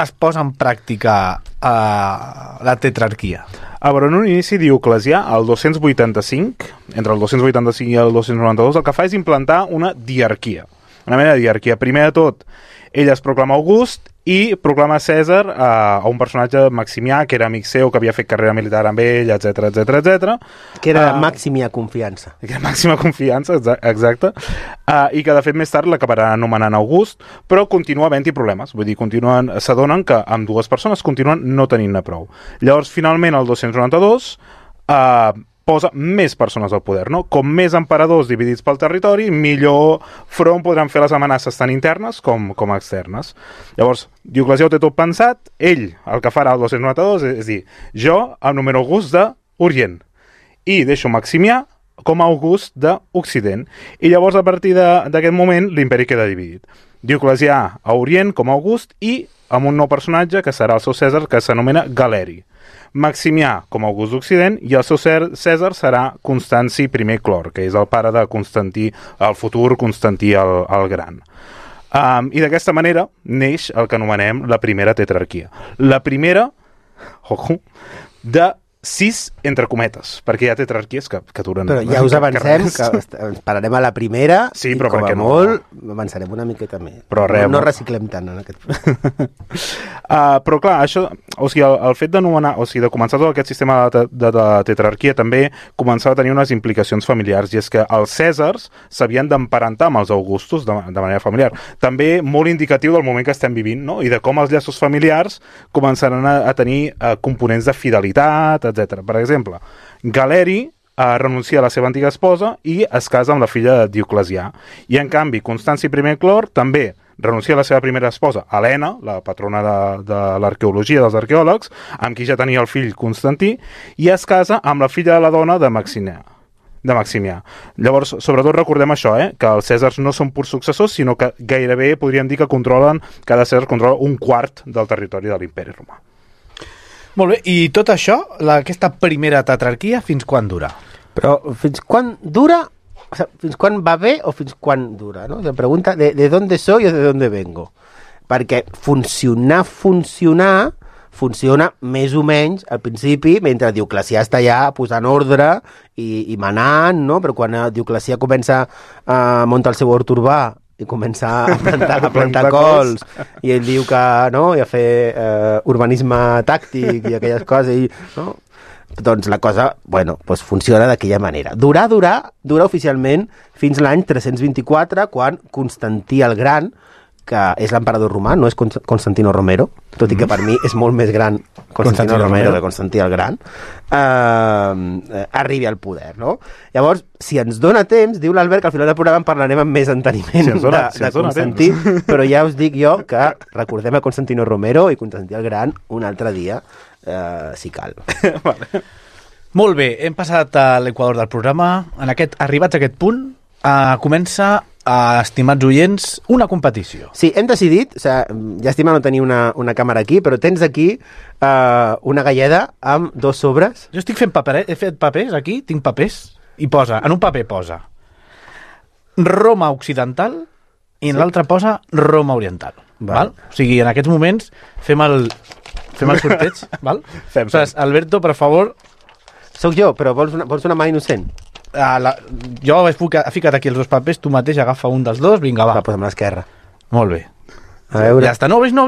es posa en pràctica la tetrarquia? A veure, en un inici Dioclecià, el 285, entre el 285 i el 292, el que fa és implantar una diarquia. Una mena de diarquia. Primer de tot, ell es proclama August i proclama Cèsar a un personatge Maximià, que era amic seu, que havia fet carrera militar amb ell, etc. Que era Maximià Confiança. Que era Màxima Confiança, exacte. I que, de fet, més tard l'acabarà anomenant August, però continua havent-hi problemes. Vull dir, s'adonen que amb 2 persones continuen no tenint-ne prou. Llavors, finalment, el 292 posa més persones al poder, no? Com més emperadors dividits pel territori, millor front podran fer les amenaces tant internes com externes. Llavors, Dioclecià ho té tot pensat, ell, el que farà el 292, és dir, jo em numero August d'Orient i deixo Maximià com a August d'Occident. I llavors, a partir d'aquest moment, l'imperi queda dividit. Dioclecià a Orient com a August i amb un nou personatge que serà el seu Cèsar, que s'anomena Galeri. Maximià com a August d'Occident, i el seu Cèsar serà Constanci I Clor, que és el pare de Constantí, el futur Constantí el Gran. I d'aquesta manera neix el que anomenem la primera tetrarquia. La primera, de 6 entre cometes, perquè hi ha tetrarquies que duren... Però ja us avancem que ens pararem a la primera sí, i com a molt avançarem una miqueta més. Però no reciclem tant en aquest punt. Però clar, això, o sigui, el fet d'anomenar, o sigui, de començar tot aquest sistema de tetrarquia també començava a tenir unes implicacions familiars, i és que els Cèsars s'havien d'emparentar amb els Augustos de manera familiar. També molt indicatiu del moment que estem vivint, no? I de com els llaços familiars començaran a tenir components de fidelitat, etc. Per exemple, Galeri renuncia a la seva antiga esposa i es casa amb la filla de Dioclecià. I, en canvi, Constanci I Clor també renuncia a la seva primera esposa, Helena, la patrona de l'arqueologia dels arqueòlegs, amb qui ja tenia el fill Constantí, i es casa amb la filla de la dona de Maximià. Llavors, sobretot recordem això, que els Cèsars no són purs successors, sinó que gairebé podríem dir que cada Cèsar controla un quart del territori de l'imperi romà. Molt bé, i tot això, aquesta primera tetrarquia, fins quan dura? Però fins quan dura? O sea, fins quan va bé o fins quan dura? ¿No? La pregunta de dónde soy o de dónde vengo. Perquè funciona més o menys al principi, mentre Dioclecià està allà posant ordre i manant, no? Però quan Dioclecià comença a muntar el seu hort urbà i començar a plantar cols i ell diu que no, i a fer urbanisme tàctic i aquelles coses, no? Doncs la cosa, doncs funciona d'aquella manera. Dura oficialment fins l'any 324, quan Constantí el Gran, que és l'emperador romà, no és Constantino Romero, tot i que per mi és molt més gran Constantino Romero que Constantí el Gran, arribi al poder, no? Llavors, si ens dona temps, diu l'Albert que al final del programa en parlarem amb més enteniment de Constantí, però ja us dic jo que recordem a Constantino Romero i Constantí el Gran un altre dia, si cal. Vale. Molt bé, hem passat a l'equador del programa. Arribats a aquest punt, comença, estimats oients, una competició. Sí, hem decidit, llàstima no tenir una càmera aquí, però tens aquí una galleda amb 2 sobres. Jo estic fent he fet papers aquí, tinc papers, i en un paper posa Roma Occidental i en l'altre posa Roma Oriental. Val? O sigui, en aquests moments fem el sorteig, val? Alberto, per favor. Soc jo, però vols una mà innocent? Jo he ficat aquí els 2 papers, tu mateix agafa un dels 2, vinga, va. Va, posa'm l'esquerra. Molt bé. A veure. Ja està, no obris. No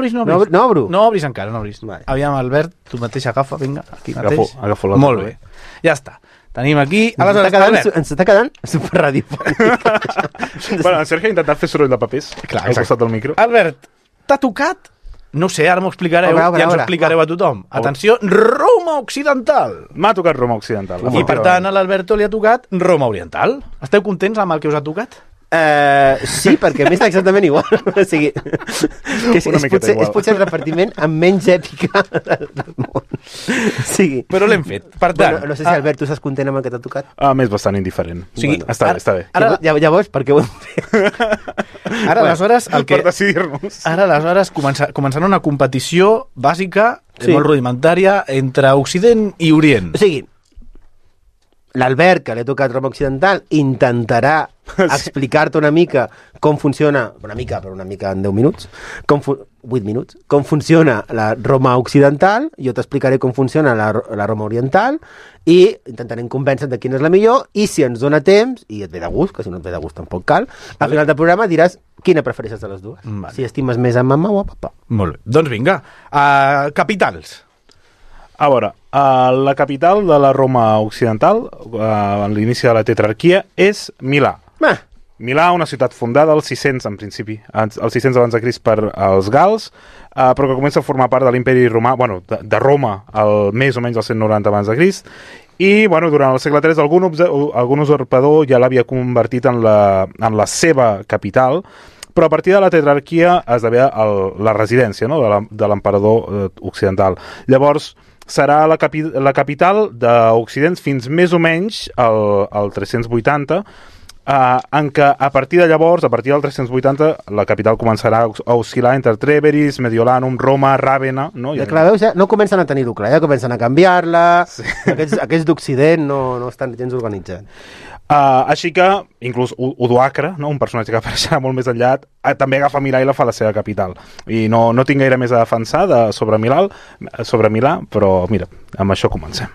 obro? No obris encara, no obris. Vale. Aviam, Albert, tu mateix agafa, vinga, aquí mateix. Agafo l'altre. Molt bé. Ja està. Tenim aquí... Ens està quedant superradiofònic. Bueno, en Sergio ha intentat fer soroll de papers. Clar, al costat del micro. Albert, t'ha tocat? No sé, ara m'ho explicareu, ja ens ho explicareu a tothom. Atenció, Roma Occidental. M'ha tocat Roma Occidental. I per tant a l'Alberto li ha tocat Roma Oriental. Esteu contents amb el que us ha tocat? Sí, perquè a més exactament igual. O sigui, és potser el repartiment amb menys èpica del món. Sí. Però l'hem fet. Per tant, no sé si Albert, tu estàs content amb el que t'ha tocat? M'és bastant indiferent. O sigui, està bé. Ara, llavors, per què ho hem fet? Ara, aleshores, per decidir-nos. Ara, aleshores, començarà una competició bàsica, molt rudimentària, entre Occident i Orient. O sigui, l'Albert, que li ha tocat Roma Occidental, intentarà explicar-te una mica com funciona, una mica en 10 minuts, 8 minuts, com funciona la Roma Occidental, jo t'explicaré com funciona la Roma Oriental, i intentarem convèncer de quina és la millor, i si ens dona temps, i et ve de gust, que si no et ve de gust tampoc cal, al final del programa diràs quina prefereixes de les dues. Vale. Si estimes més a mama o a papa. Molt bé. Doncs vinga, capitals. A veure, la capital de la Roma Occidental, en l'inici de la tetrarquia, és Milà. Milà, una ciutat fundada als 600, en principi, als 600 abans de Crist per als gals, però que comença a formar part de l'imperi romà, de Roma, més o menys al 190 abans de Crist, i durant el segle III algun usurpador ja l'havia convertit en la seva capital, però a partir de la tetrarquia esdevé la residència, no?, de l'emperador occidental. Llavors, serà la capital d'Occident fins més o menys al 380, en què a partir de llavors, a partir del 380, la capital començarà a oscil·lar entre Treveris, Mediolanum, Roma, Ràvena... No? Ja, clar, veus, ja no comencen a tenir-ho clar, ja comencen a canviar-la, sí. Aquests d'Occident no estan gens organitzats. Així que, inclús Odoacre, no? Un personatge que apareixerà molt més enllà, també agafa Milà i la fa la seva capital. I no tinc gaire més a defensar sobre Milà, però mira, amb això comencem.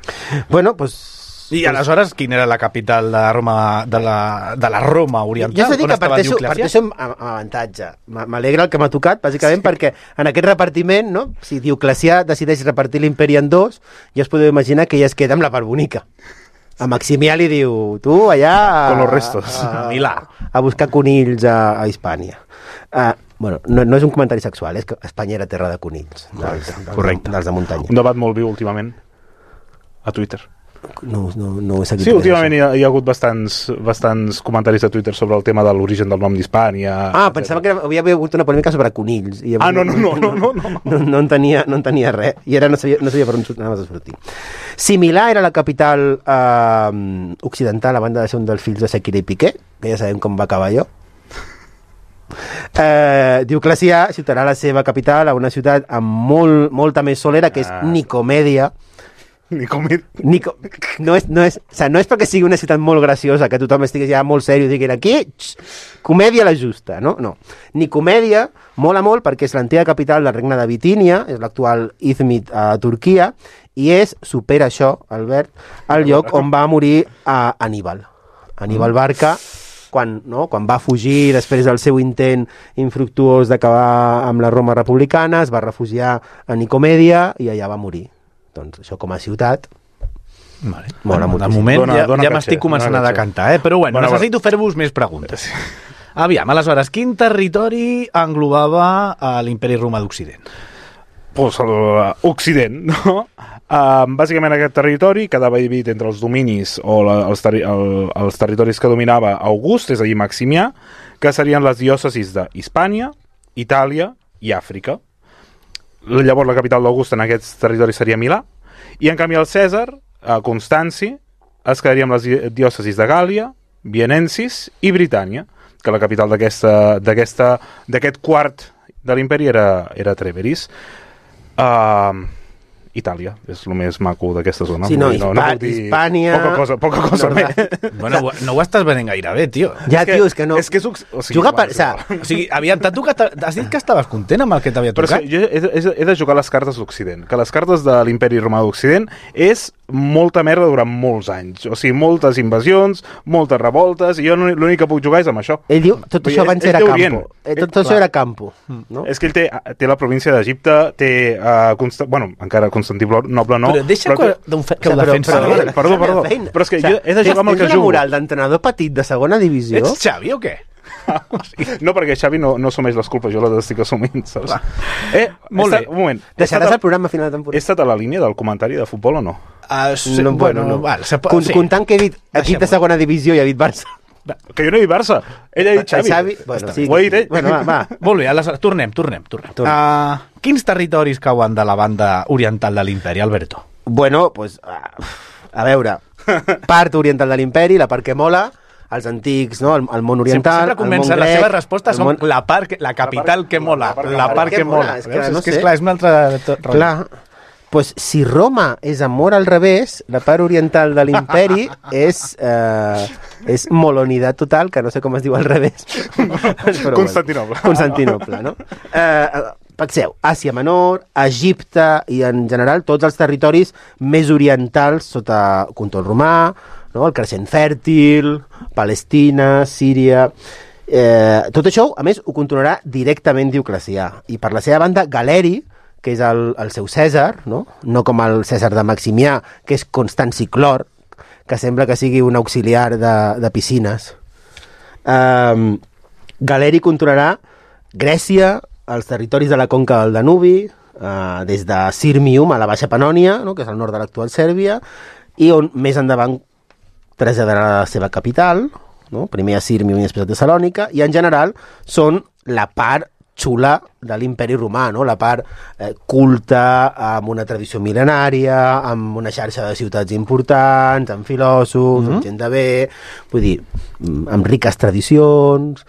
Bueno, doncs... I aleshores, quina era la capital de Roma, de la Roma oriental? Jo s'ha dit que parteixo amb avantatge. M'alegra el que m'ha tocat, bàsicament, perquè en aquest repartiment, no? Si Dioclecià decideix repartir l'imperi en dos, ja es podeu imaginar que ella es queda amb la part bonica. A Maximià li diu, tu allà... Con los restos. A Milà. A buscar conills a Hispània. Bueno, no és un comentari sexual, és que Espanya era terra de conills. Correcte. Dels de muntanya. Un debat molt viu últimament a Twitter. No ho he seguit. Sí, últimament hi ha hagut bastants comentaris a Twitter sobre el tema de l'origen del nom d'Hispània. Pensava que havia hagut una polèmica sobre conills. I no. No en tenia res. I ara no sabia per on anaves a sortir. Si Milà era la capital occidental, a banda de ser un dels fills de Sekira i Piqué, que ja sabem com va acabar allò, Dioclecià ciutarà la seva capital a una ciutat amb molta més solera, que és Nicomèdia. No és perquè sigui una ciutat molt graciosa, que tothom estigui ja molt sèrio i digui aquí, comèdia la justa, no? Nicomèdia mola molt perquè és l'antiga capital del regne de Bitínia, és l'actual Izmit a Turquia, i supera això, Albert, el lloc on va morir Aníbal Barca, quan va fugir després del seu intent infructuós d'acabar amb la Roma republicana, es va refugiar a Nicomèdia i allà va morir. Doncs això com a ciutat mola moltíssim. De moment ja m'estic començant a decantar, però bueno, necessito fer-vos més preguntes. Aviam, aleshores, quin territori englobava l'imperi romà d'Occident? Pues l'Occident, no? Bàsicament aquest territori quedava dividit entre els dominis o els territoris que dominava August, és a dir, Maximià, que serien les diòcesis d'Hispània, Itàlia i Àfrica. Llavors la capital d'August en aquests territoris seria Milà, i en canvi el Cèsar, a Constanci, es quedaria amb les diòcesis de Gàlia, Vienensis i Britània, que la capital d'aquest quart de l'imperi era Treveris. Itàlia, és el més maco d'aquesta zona. Sí, no puc dir Hispània... Poca cosa més. Bueno, no ho estàs venent gaire bé, tio. Ja, tio, és que no... Juga per... O sigui, aviam, has dit que estaves content amb el que t'havia tocat? Però jo he de jugar les cartes d'Occident, que les cartes de l'imperi romà d'Occident és molta merda durant molts anys. O sigui, moltes invasions, moltes revoltes, i jo l'únic que puc jugar és amb això. Ell diu, tot això abans era campo. Tot això era campo. És que ell té la província d'Egipte, té... encara Constantinoble no. Però deixa que ho defensa. Perdó. Però és que jo he de jugar amb el que jugo. Tens una moral d'entrenador petit de segona divisió? Ets Xavi o què? No, perquè Xavi no assumeix les culpes, jo les estic assumint, saps? Molt bé. Un moment. Deixaràs el programa a final de temporada? He estat a la línia del comentari de futbol o no? Comptant que he dit equip de segona divisió i he dit Barça. Que jo no he dit Barça. Ell ha dit Xavi. Ho he dit ell. Bueno, va. Molt bé, aleshores, tornem. Quins territoris cauen de la banda oriental de l'imperi, Alberto? Bueno, pues, a veure, part oriental de l'imperi, la part que mola, els antics, no? El món oriental, sempre comença, les seves respostes són la capital que mola, la part que mola. És que és clar, és un altre... Clar, pues, si Roma és amor al revés, la part oriental de l'imperi és molonitat total, que no sé com es diu al revés. Constantinoble. Constantinoble, no? Penseu, Àsia Menor, Egipte i en general tots els territoris més orientals sota control romà, no? El creixent fèrtil, Palestina, Síria... tot això, a més, ho controlarà directament Dioclecià. I per la seva banda, Galeri, que és el seu Cèsar, no com el Cèsar de Maximià, que és Constanci Clor, que sembla que sigui un auxiliar de piscines. Galeri controlarà Grècia, els territoris de la conca del Danubi, des de Sirmium a la Baixa Panònia, no? Que és al nord de l'actual Sèrbia, i on més endavant traslladarà la seva capital, no? Primer a Sirmium i després a Tessalònica, i en general són la part xula de l'imperi romà, no? La part culta, amb una tradició mil·lenària, amb una xarxa de ciutats importants, amb filòsofs, amb gent de bé, vull dir, amb riques tradicions.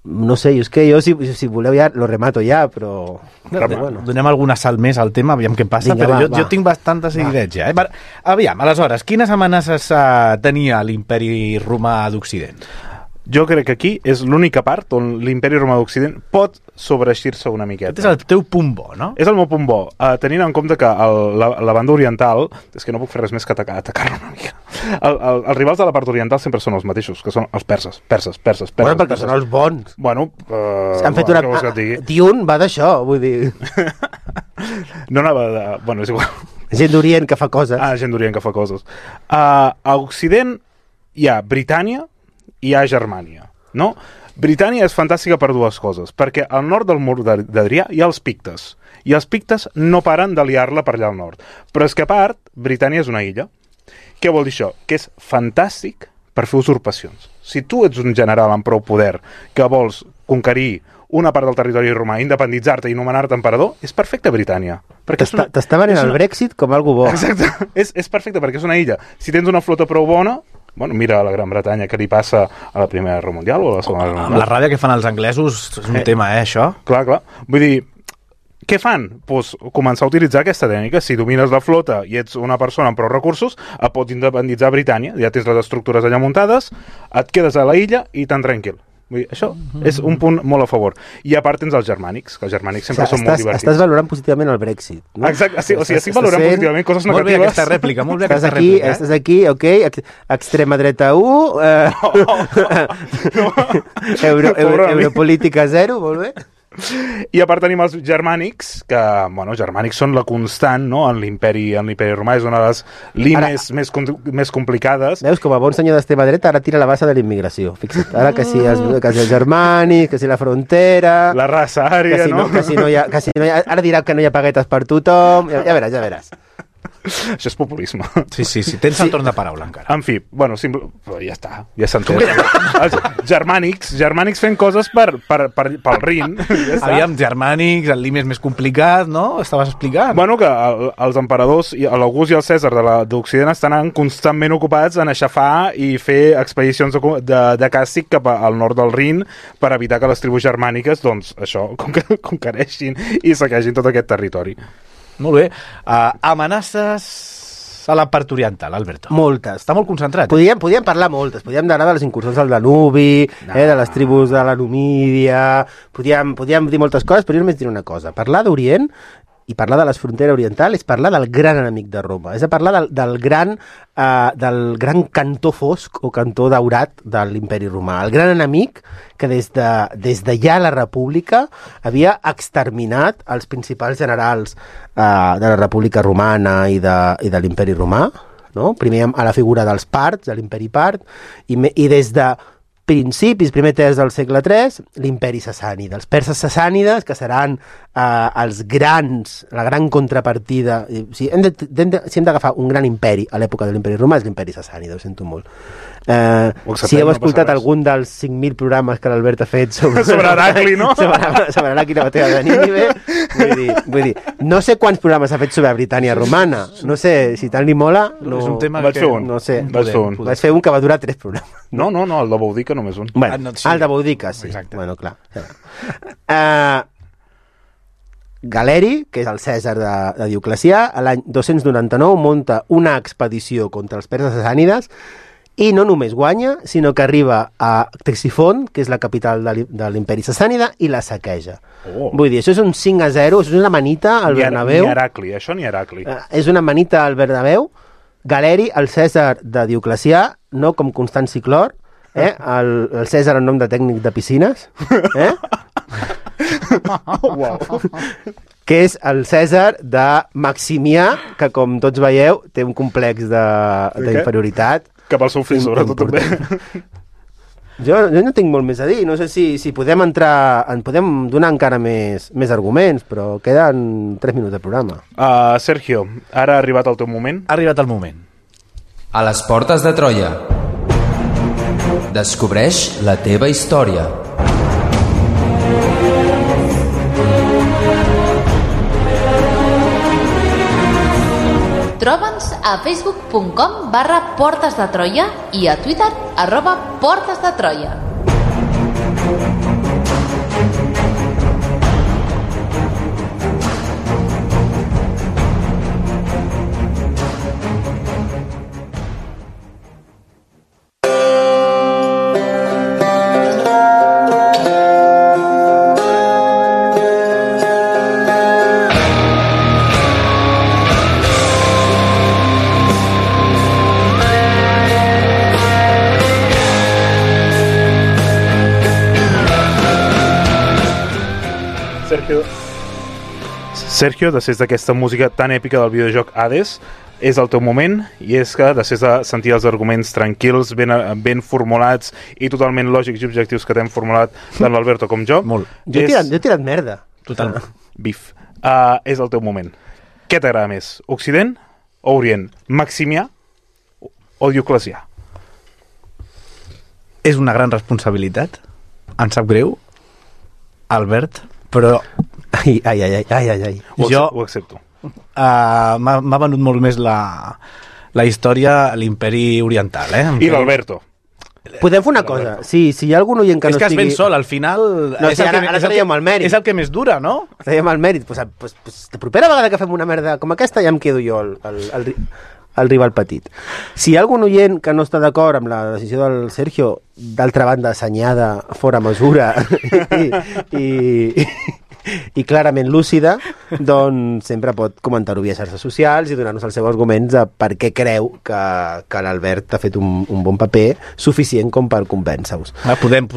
No sé, és que jo, si voleu ja, lo remato ja, però... Bueno. Donem algun assalt més al tema, aviam què passa, vinga, però jo tinc bastantes idees ja. Aviam, aleshores, quines amenaces tenia l'imperi romà d'Occident? Jo crec que aquí és l'única part on l'imperi romà d'Occident pot sobreeixir-se una miqueta. Aquest és el teu punt bo, no? És el meu punt bo, tenint en compte que la banda oriental, és que no puc fer res més que atacar-lo una mica. Els rivals de la part oriental sempre són els mateixos, que són els perses. Bueno, perquè són els bons. Bueno, han fet una... Dune va d'això, vull dir... No anava de... Bueno, és igual. Gent d'Orient que fa coses. Gent d'Orient que fa coses. A Occident hi ha Britània, hi ha Germània, no? Britània és fantàstica per dues coses, perquè al nord del mur d'Adrià hi ha els pictes, i els pictes no paren de liar-la per allà al nord. Però és que a part, Britània és una illa. Què vol dir això? Que és fantàstic per fer usurpacions. Si tu ets un general amb prou poder que vols conquerir una part del territori romà, independitzar-te i nomenar-te emperador, és perfecte Britània. T'està venent el Brexit com algo bo. Exacte, és perfecte perquè és una illa. Si tens una flota prou bona, bueno, mira a la Gran Bretanya què li passa a la Primera Guerra Mundial o a la Segona Guerra Mundial. La ràbia que fan els anglesos és un tema, això. Clar. Vull dir, què fan? Pues començar a utilitzar aquesta tècnica. Si domines la flota i ets una persona amb prou recursos, et pot independitzar Britània, ja tens les estructures allà muntades, et quedes a la illa i tan tranquil. Vull dir, això és un punt molt a favor. I a part tens els germànics, que els germànics sempre són molt divertits. Estàs valorant positivament el Brexit, no? Exacte, o sigui, estic valorant positivament coses negatives. Molt bé aquesta rèplica, molt bé aquesta rèplica. Estàs aquí, ok, extrema dreta 1, europolítica 0, molt bé. I a part tenim els germànics, que, bueno, germànics són la constant, no?, en l'imperi romà, és una de les línies més complicades. Veus, com a bon senyor d'extrema dreta, ara tira la bassa de l'immigració, fixa't. Ara que si els germànics, que si la frontera... La raça ària, no? Que si no hi ha... Ara dirà que no hi ha paguetes per tothom, ja veràs. Això és populisme. Sí, tens el torn de paraula encara. En fi, bueno, ja està, ja s'entén. Els germànics fent coses pel Rin. Ja aviam, germànics, el lim és més complicat, no? Estaves explicant. Bueno, que els emperadors, l'August i el Cèsar d'Occident estan constantment ocupats en aixafar i fer expedicions de càstig cap al nord del Rin per evitar que les tribus germàniques, doncs, això, conquereixin i saquegin tot aquest territori. Molt bé. Amenaces a la part oriental, Alberto. Moltes. Està molt concentrat. Podíem parlar moltes. Podíem parlar de les incursions al Danubi, de les tribus de la Numídia... Podíem dir moltes coses, però jo només diré una cosa. Parlar d'Orient i parlar de la frontera oriental és parlar del gran enemic de Roma. És a parlar del gran cantó fosc o cantó daurat de l'imperi romà. El gran enemic que des de ja la República havia exterminat els principals generals de la República Romana i de l'imperi romà, no? Primer a la figura dels parts, de l'imperi part, i des de principis, primer terç del segle III, l'imperi sassànida. Els perses sassànides, que seran la gran contrapartida. Si hem d'agafar un gran imperi a l'època de l'imperi romà, és l'imperi sassànida, ho sento molt. Si heu escoltat algun dels 5.000 programes que l'Albert ha fet sobre Heracli, no? sobre Heracli i la batalla de Nínive, vull dir, no sé quants programes ha fet sobre Britània romana, no sé, si tant li mola, no... És un tema que... No sé. Vaig fer un que va durar 3 programes. No, el de Boudica només un. Bueno, el de Boudica, sí. Exacte. Bueno, clar. Galeri, que és el Cèsar de Dioclecià, l'any 299 munta una expedició contra els perses sassànides i no només guanya, sinó que arriba a Ctesifont, que és la capital de l'imperi sassànida, i la saqueja. Vull dir, això és un 5-0, això és una manita al Bernabéu. Ni Heracli, això ni Heracli. És una manita al Bernabéu. Galeri, el Cèsar de Dioclecià, no com Constanci Clor, el Cèsar en nom de tècnic de piscines, que és el Cèsar de Maximià, que com tots veieu té un complex d'inferioritat. Cap al seu fill, sobretot també. Jo no tinc molt més a dir, no sé si podem entrar, podem donar encara més arguments, però queden 3 minuts de programa. Sergio, ara ha arribat el teu moment? Ha arribat el moment. A les portes de Troia. Descobreix la teva història. Troba'ns a facebook.com/Portes de Troia i a Twitter @Portes de Troia. Sergio, després d'aquesta música tan èpica del videojoc Hades, és el teu moment, i és que després de sentir els arguments tranquils, ben formulats i totalment lògics i objectius que t'hem formulat tant l'Alberto com jo... Molt. Jo he tirat merda. Totalment. Bif. És el teu moment. Què t'agrada més? Occident o Orient? Maximià o Dioclecià? És una gran responsabilitat. Em sap greu, Albert, però... Ai. Ho accepto. M'ha venut molt més la història a l'imperi oriental, I l'Alberto. Podem fer una cosa. Si hi ha algun oient que no estigui... És que has ben sol, al final... No, ara traiem el mèrit. És el que més dura, no? Traiem el mèrit. Pues, la propera vegada que fem una merda com aquesta ja em quedo jo el rival petit. Si hi ha algun oient que no està d'acord amb la decisió del Sergio, d'altra banda assenyada, fora mesura i clarament lúcida, doncs sempre pot comentar-ho via xarxes socials i donar-nos els seus arguments de per què creu que l'Albert ha fet un bon paper suficient com per convèncer-vos. Podem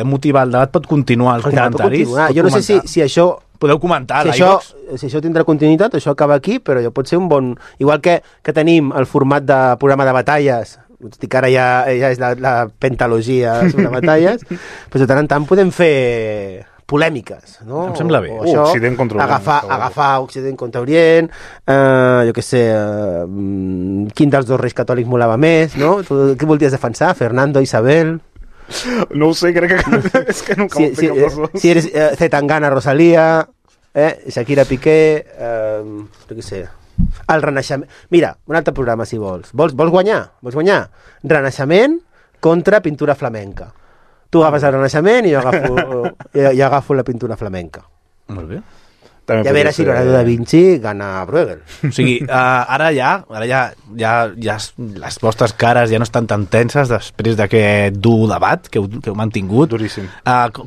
motivar el debat, pot continuar els comentaris. Jo no sé si això... Podeu comentar si això tindrà continuïtat, això acaba aquí, però ja pot ser un bon... Igual que tenim el format de programa de batalles, dic que ara ja és la pentalogia sobre batalles, però de tant en tant podem fer polèmiques, no? Em sembla bé. Occident contra Orient. Agafar Occident contra Orient, jo què sé, quin dels dos reis catòlics molava més, no? Tu què voldries defensar? Fernando, Isabel... No ho sé, crec que és que nunca ho sé cap dels dos. Si eres Zetangana, Rosalía, Shakira Piqué, jo què sé, el Renaixement... Mira, un altre programa, si vols. Vols guanyar? Renaixement contra pintura flamenca. Tu agafes el Renaixement i jo agafo la pintura flamenca. Molt bé. I a veure si Leonardo da Vinci gana a Bruegel. O sigui, ara ja les vostres cares ja no estan tan tenses després d'aquest dur debat que heu mantingut. Duríssim.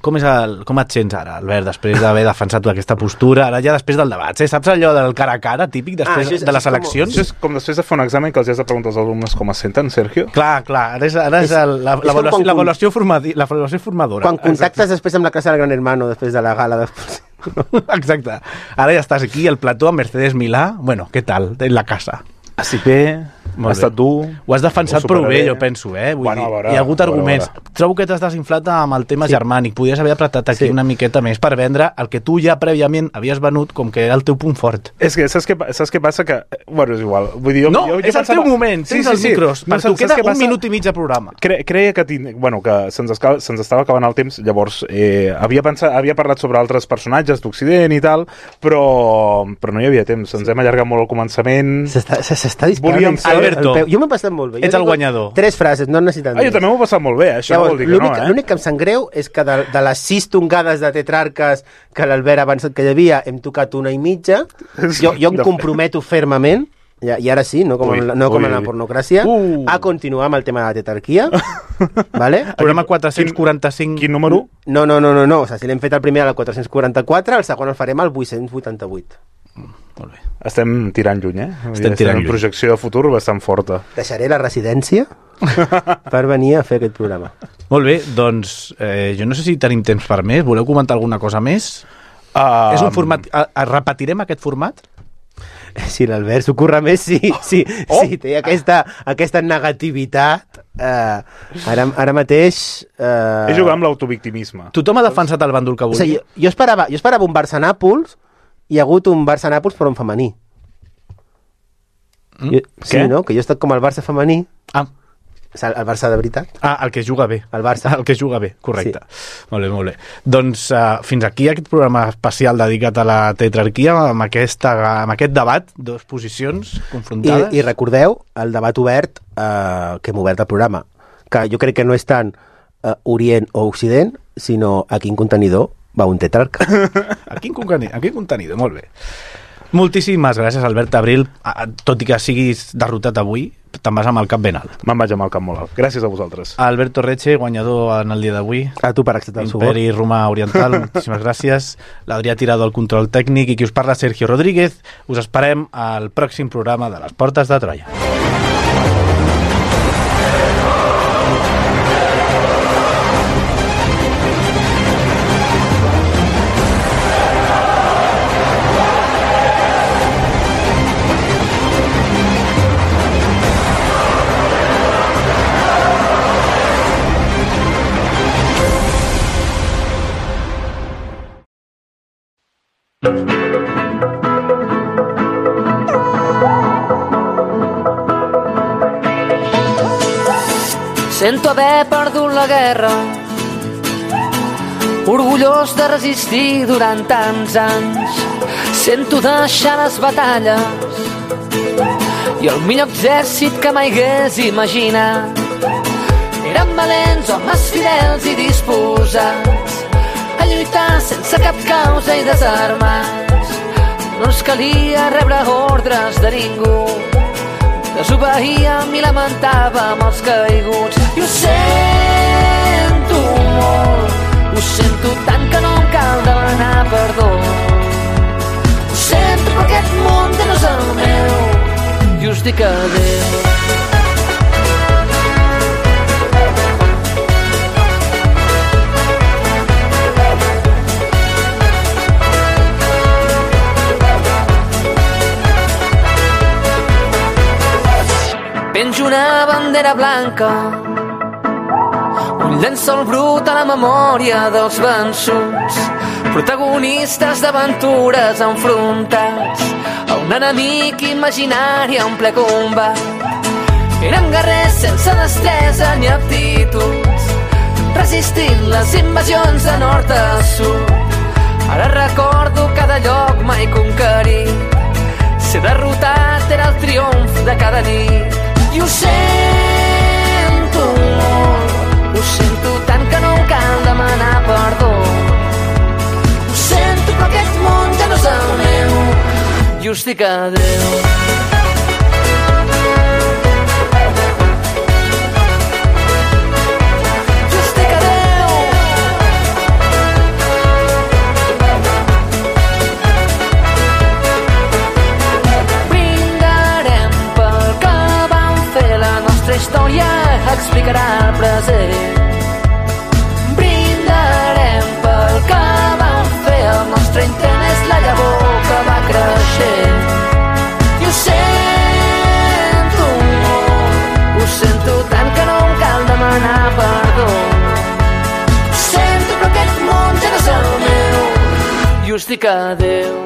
Com et sents ara, Albert, després d'haver defensat aquesta postura, ara ja després del debat? Saps allò del cara a cara típic després de les eleccions? Això és com després de fer un examen que els has de preguntar als alumnes com es senten, Sergio? Clar, ara és l'avaluació formadora. Quan contactes després amb la classe del Gran Hermano, després de la gala després... Exacte. Ara ja estàs aquí, al plató, amb Mercedes Milà. Bueno, què tal? En la casa. Així bé, ha estat dur. Ho has defensat prou bé, jo penso, Vull dir, hi ha hagut arguments. Trobo que t'has desinflat amb el tema germànic. Podries haver apretat aquí una miqueta més per vendre el que tu ja prèviament havies venut com que era el teu punt fort. És que saps què passa? Que, bueno, és igual. Vull dir, jo és el teu moment, tens els micros. Per tu queda un minut i mig de programa. Creia que se'ns estava acabant el temps, llavors havia parlat sobre altres personatges d'Occident i tal, però no hi havia temps. Ens hem allargat molt al començament. S'està disparant. Alberto, jo m'he passat molt bé. Ets el guanyador. 3 frases, no necessiten jo també m'ho he passat molt bé, això llavors, no vol dir que no, L'únic que em sap greu és que de les 6 tongades de tetrarques que l'Albert ha avançat que hi havia, hem tocat 1 i mitja. Jo em comprometo fermament, i ara sí, no com en la pornocràcia, a continuar amb el tema de la tetrarquia. Vale? Programa 445. Quin número? No. O sigui, si l'hem fet el primer al 444, el segon el farem al 888. Molt bé. Estem tirant lluny, Estem tirant lluny. Projecció de futur bastant forta. Deixaré la residència per venir a fer aquest programa. Molt bé, doncs jo no sé si tenim temps per més. Voleu comentar alguna cosa més? És un format... Repetirem aquest format? Si l'Albert s'ocorre més, sí, té aquesta negativitat. Ara mateix... És jugar amb l'autovictimisme. Tothom ha defensat el bàndol que volia. O sigui, jo esperava un Barça-Nàpols. Hi ha hagut un Barça-Nàpols però en femení. Què? Sí, no? Que jo he estat com el Barça femení. El Barça de veritat? El que juga bé. El Barça. El que juga bé, correcte. Sí. Molt bé, molt bé. Doncs fins aquí aquest programa especial dedicat a la tetrarquia, amb aquest debat, dues posicions confrontades. I recordeu el debat obert que hem obert al programa, que jo crec que no és tant Orient o Occident, sinó a quin contenidor va un tetrarca. A quin contenidor, molt bé. Moltíssimes gràcies, Albert Abril. Tot i que siguis derrotat avui, te'n vas amb el cap ben alt. Me'n vaig amb el cap molt alt. Gràcies a vosaltres. Alberto Reche, guanyador en el dia d'avui. A tu per acceptar el suport. Imperi Romà Oriental, moltíssimes gràcies. L'Adrià Tirado al control tècnic i qui us parla, Sergio Rodríguez. Us esperem al pròxim programa de les Portes de Troia. Sento haver perdut la guerra, orgullós de resistir durant tants anys. Sento deixar les batalles i el millor exèrcit que mai hagués imaginat. Eren valents, homes fidels i disposats a lluitar sense cap causa i desarmats. No ens calia rebre ordres de ningú, desobeíem i lamentàvem els caiguts. I ho sento molt, ho sento tant que no em cal demanar perdó. Ho sento però aquest món ja no és el meu i us dic adéu. Penjo una bandera blanca, un llençol brut a la memòria dels vençuts, protagonistes d'aventures enfrontats a un enemic imaginari en ple combat. Érem guerrers sense destresa ni aptituds, resistint les invasions de nord a sud. Ara recordo cada lloc mai conquerit, ser derrotat era el triomf de cada nit. I ho sento molt, ho sento tant que no em cal demanar perdó. Ho sento però aquest món ja no és el meu i us dic adéu. Història explicarà el present. Brindarem pel que vam fer, el nostre intent és la llavor que va creixent. I ho sento molt, ho sento tant que no em cal demanar perdó. Ho sento però aquest món ja no és el meu i us dic adéu.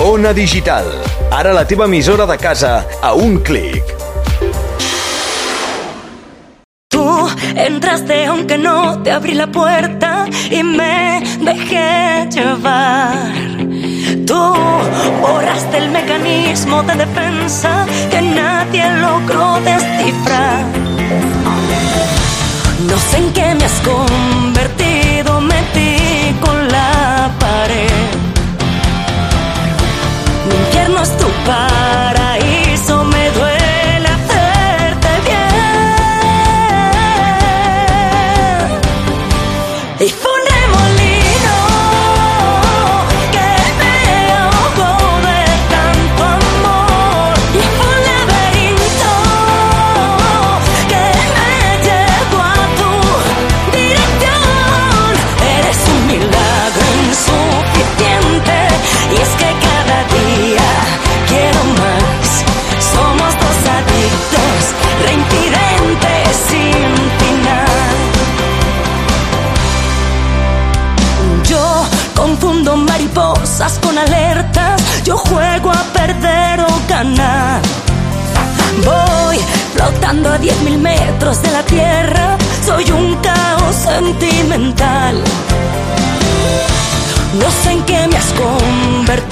Ona Digital, ara la teva emissora de casa a un clic. Tú entraste aunque no te abrí la puerta y me dejé llevar. Tú borraste el mecanismo de defensa que nadie logró descifrar. No sé en qué me has convertido, me di con la pared. Mi infierno es tu paz. sanar. Voy flotando a 10.000 metros de la tierra, soy un caos sentimental. No sé en qué me has convertido,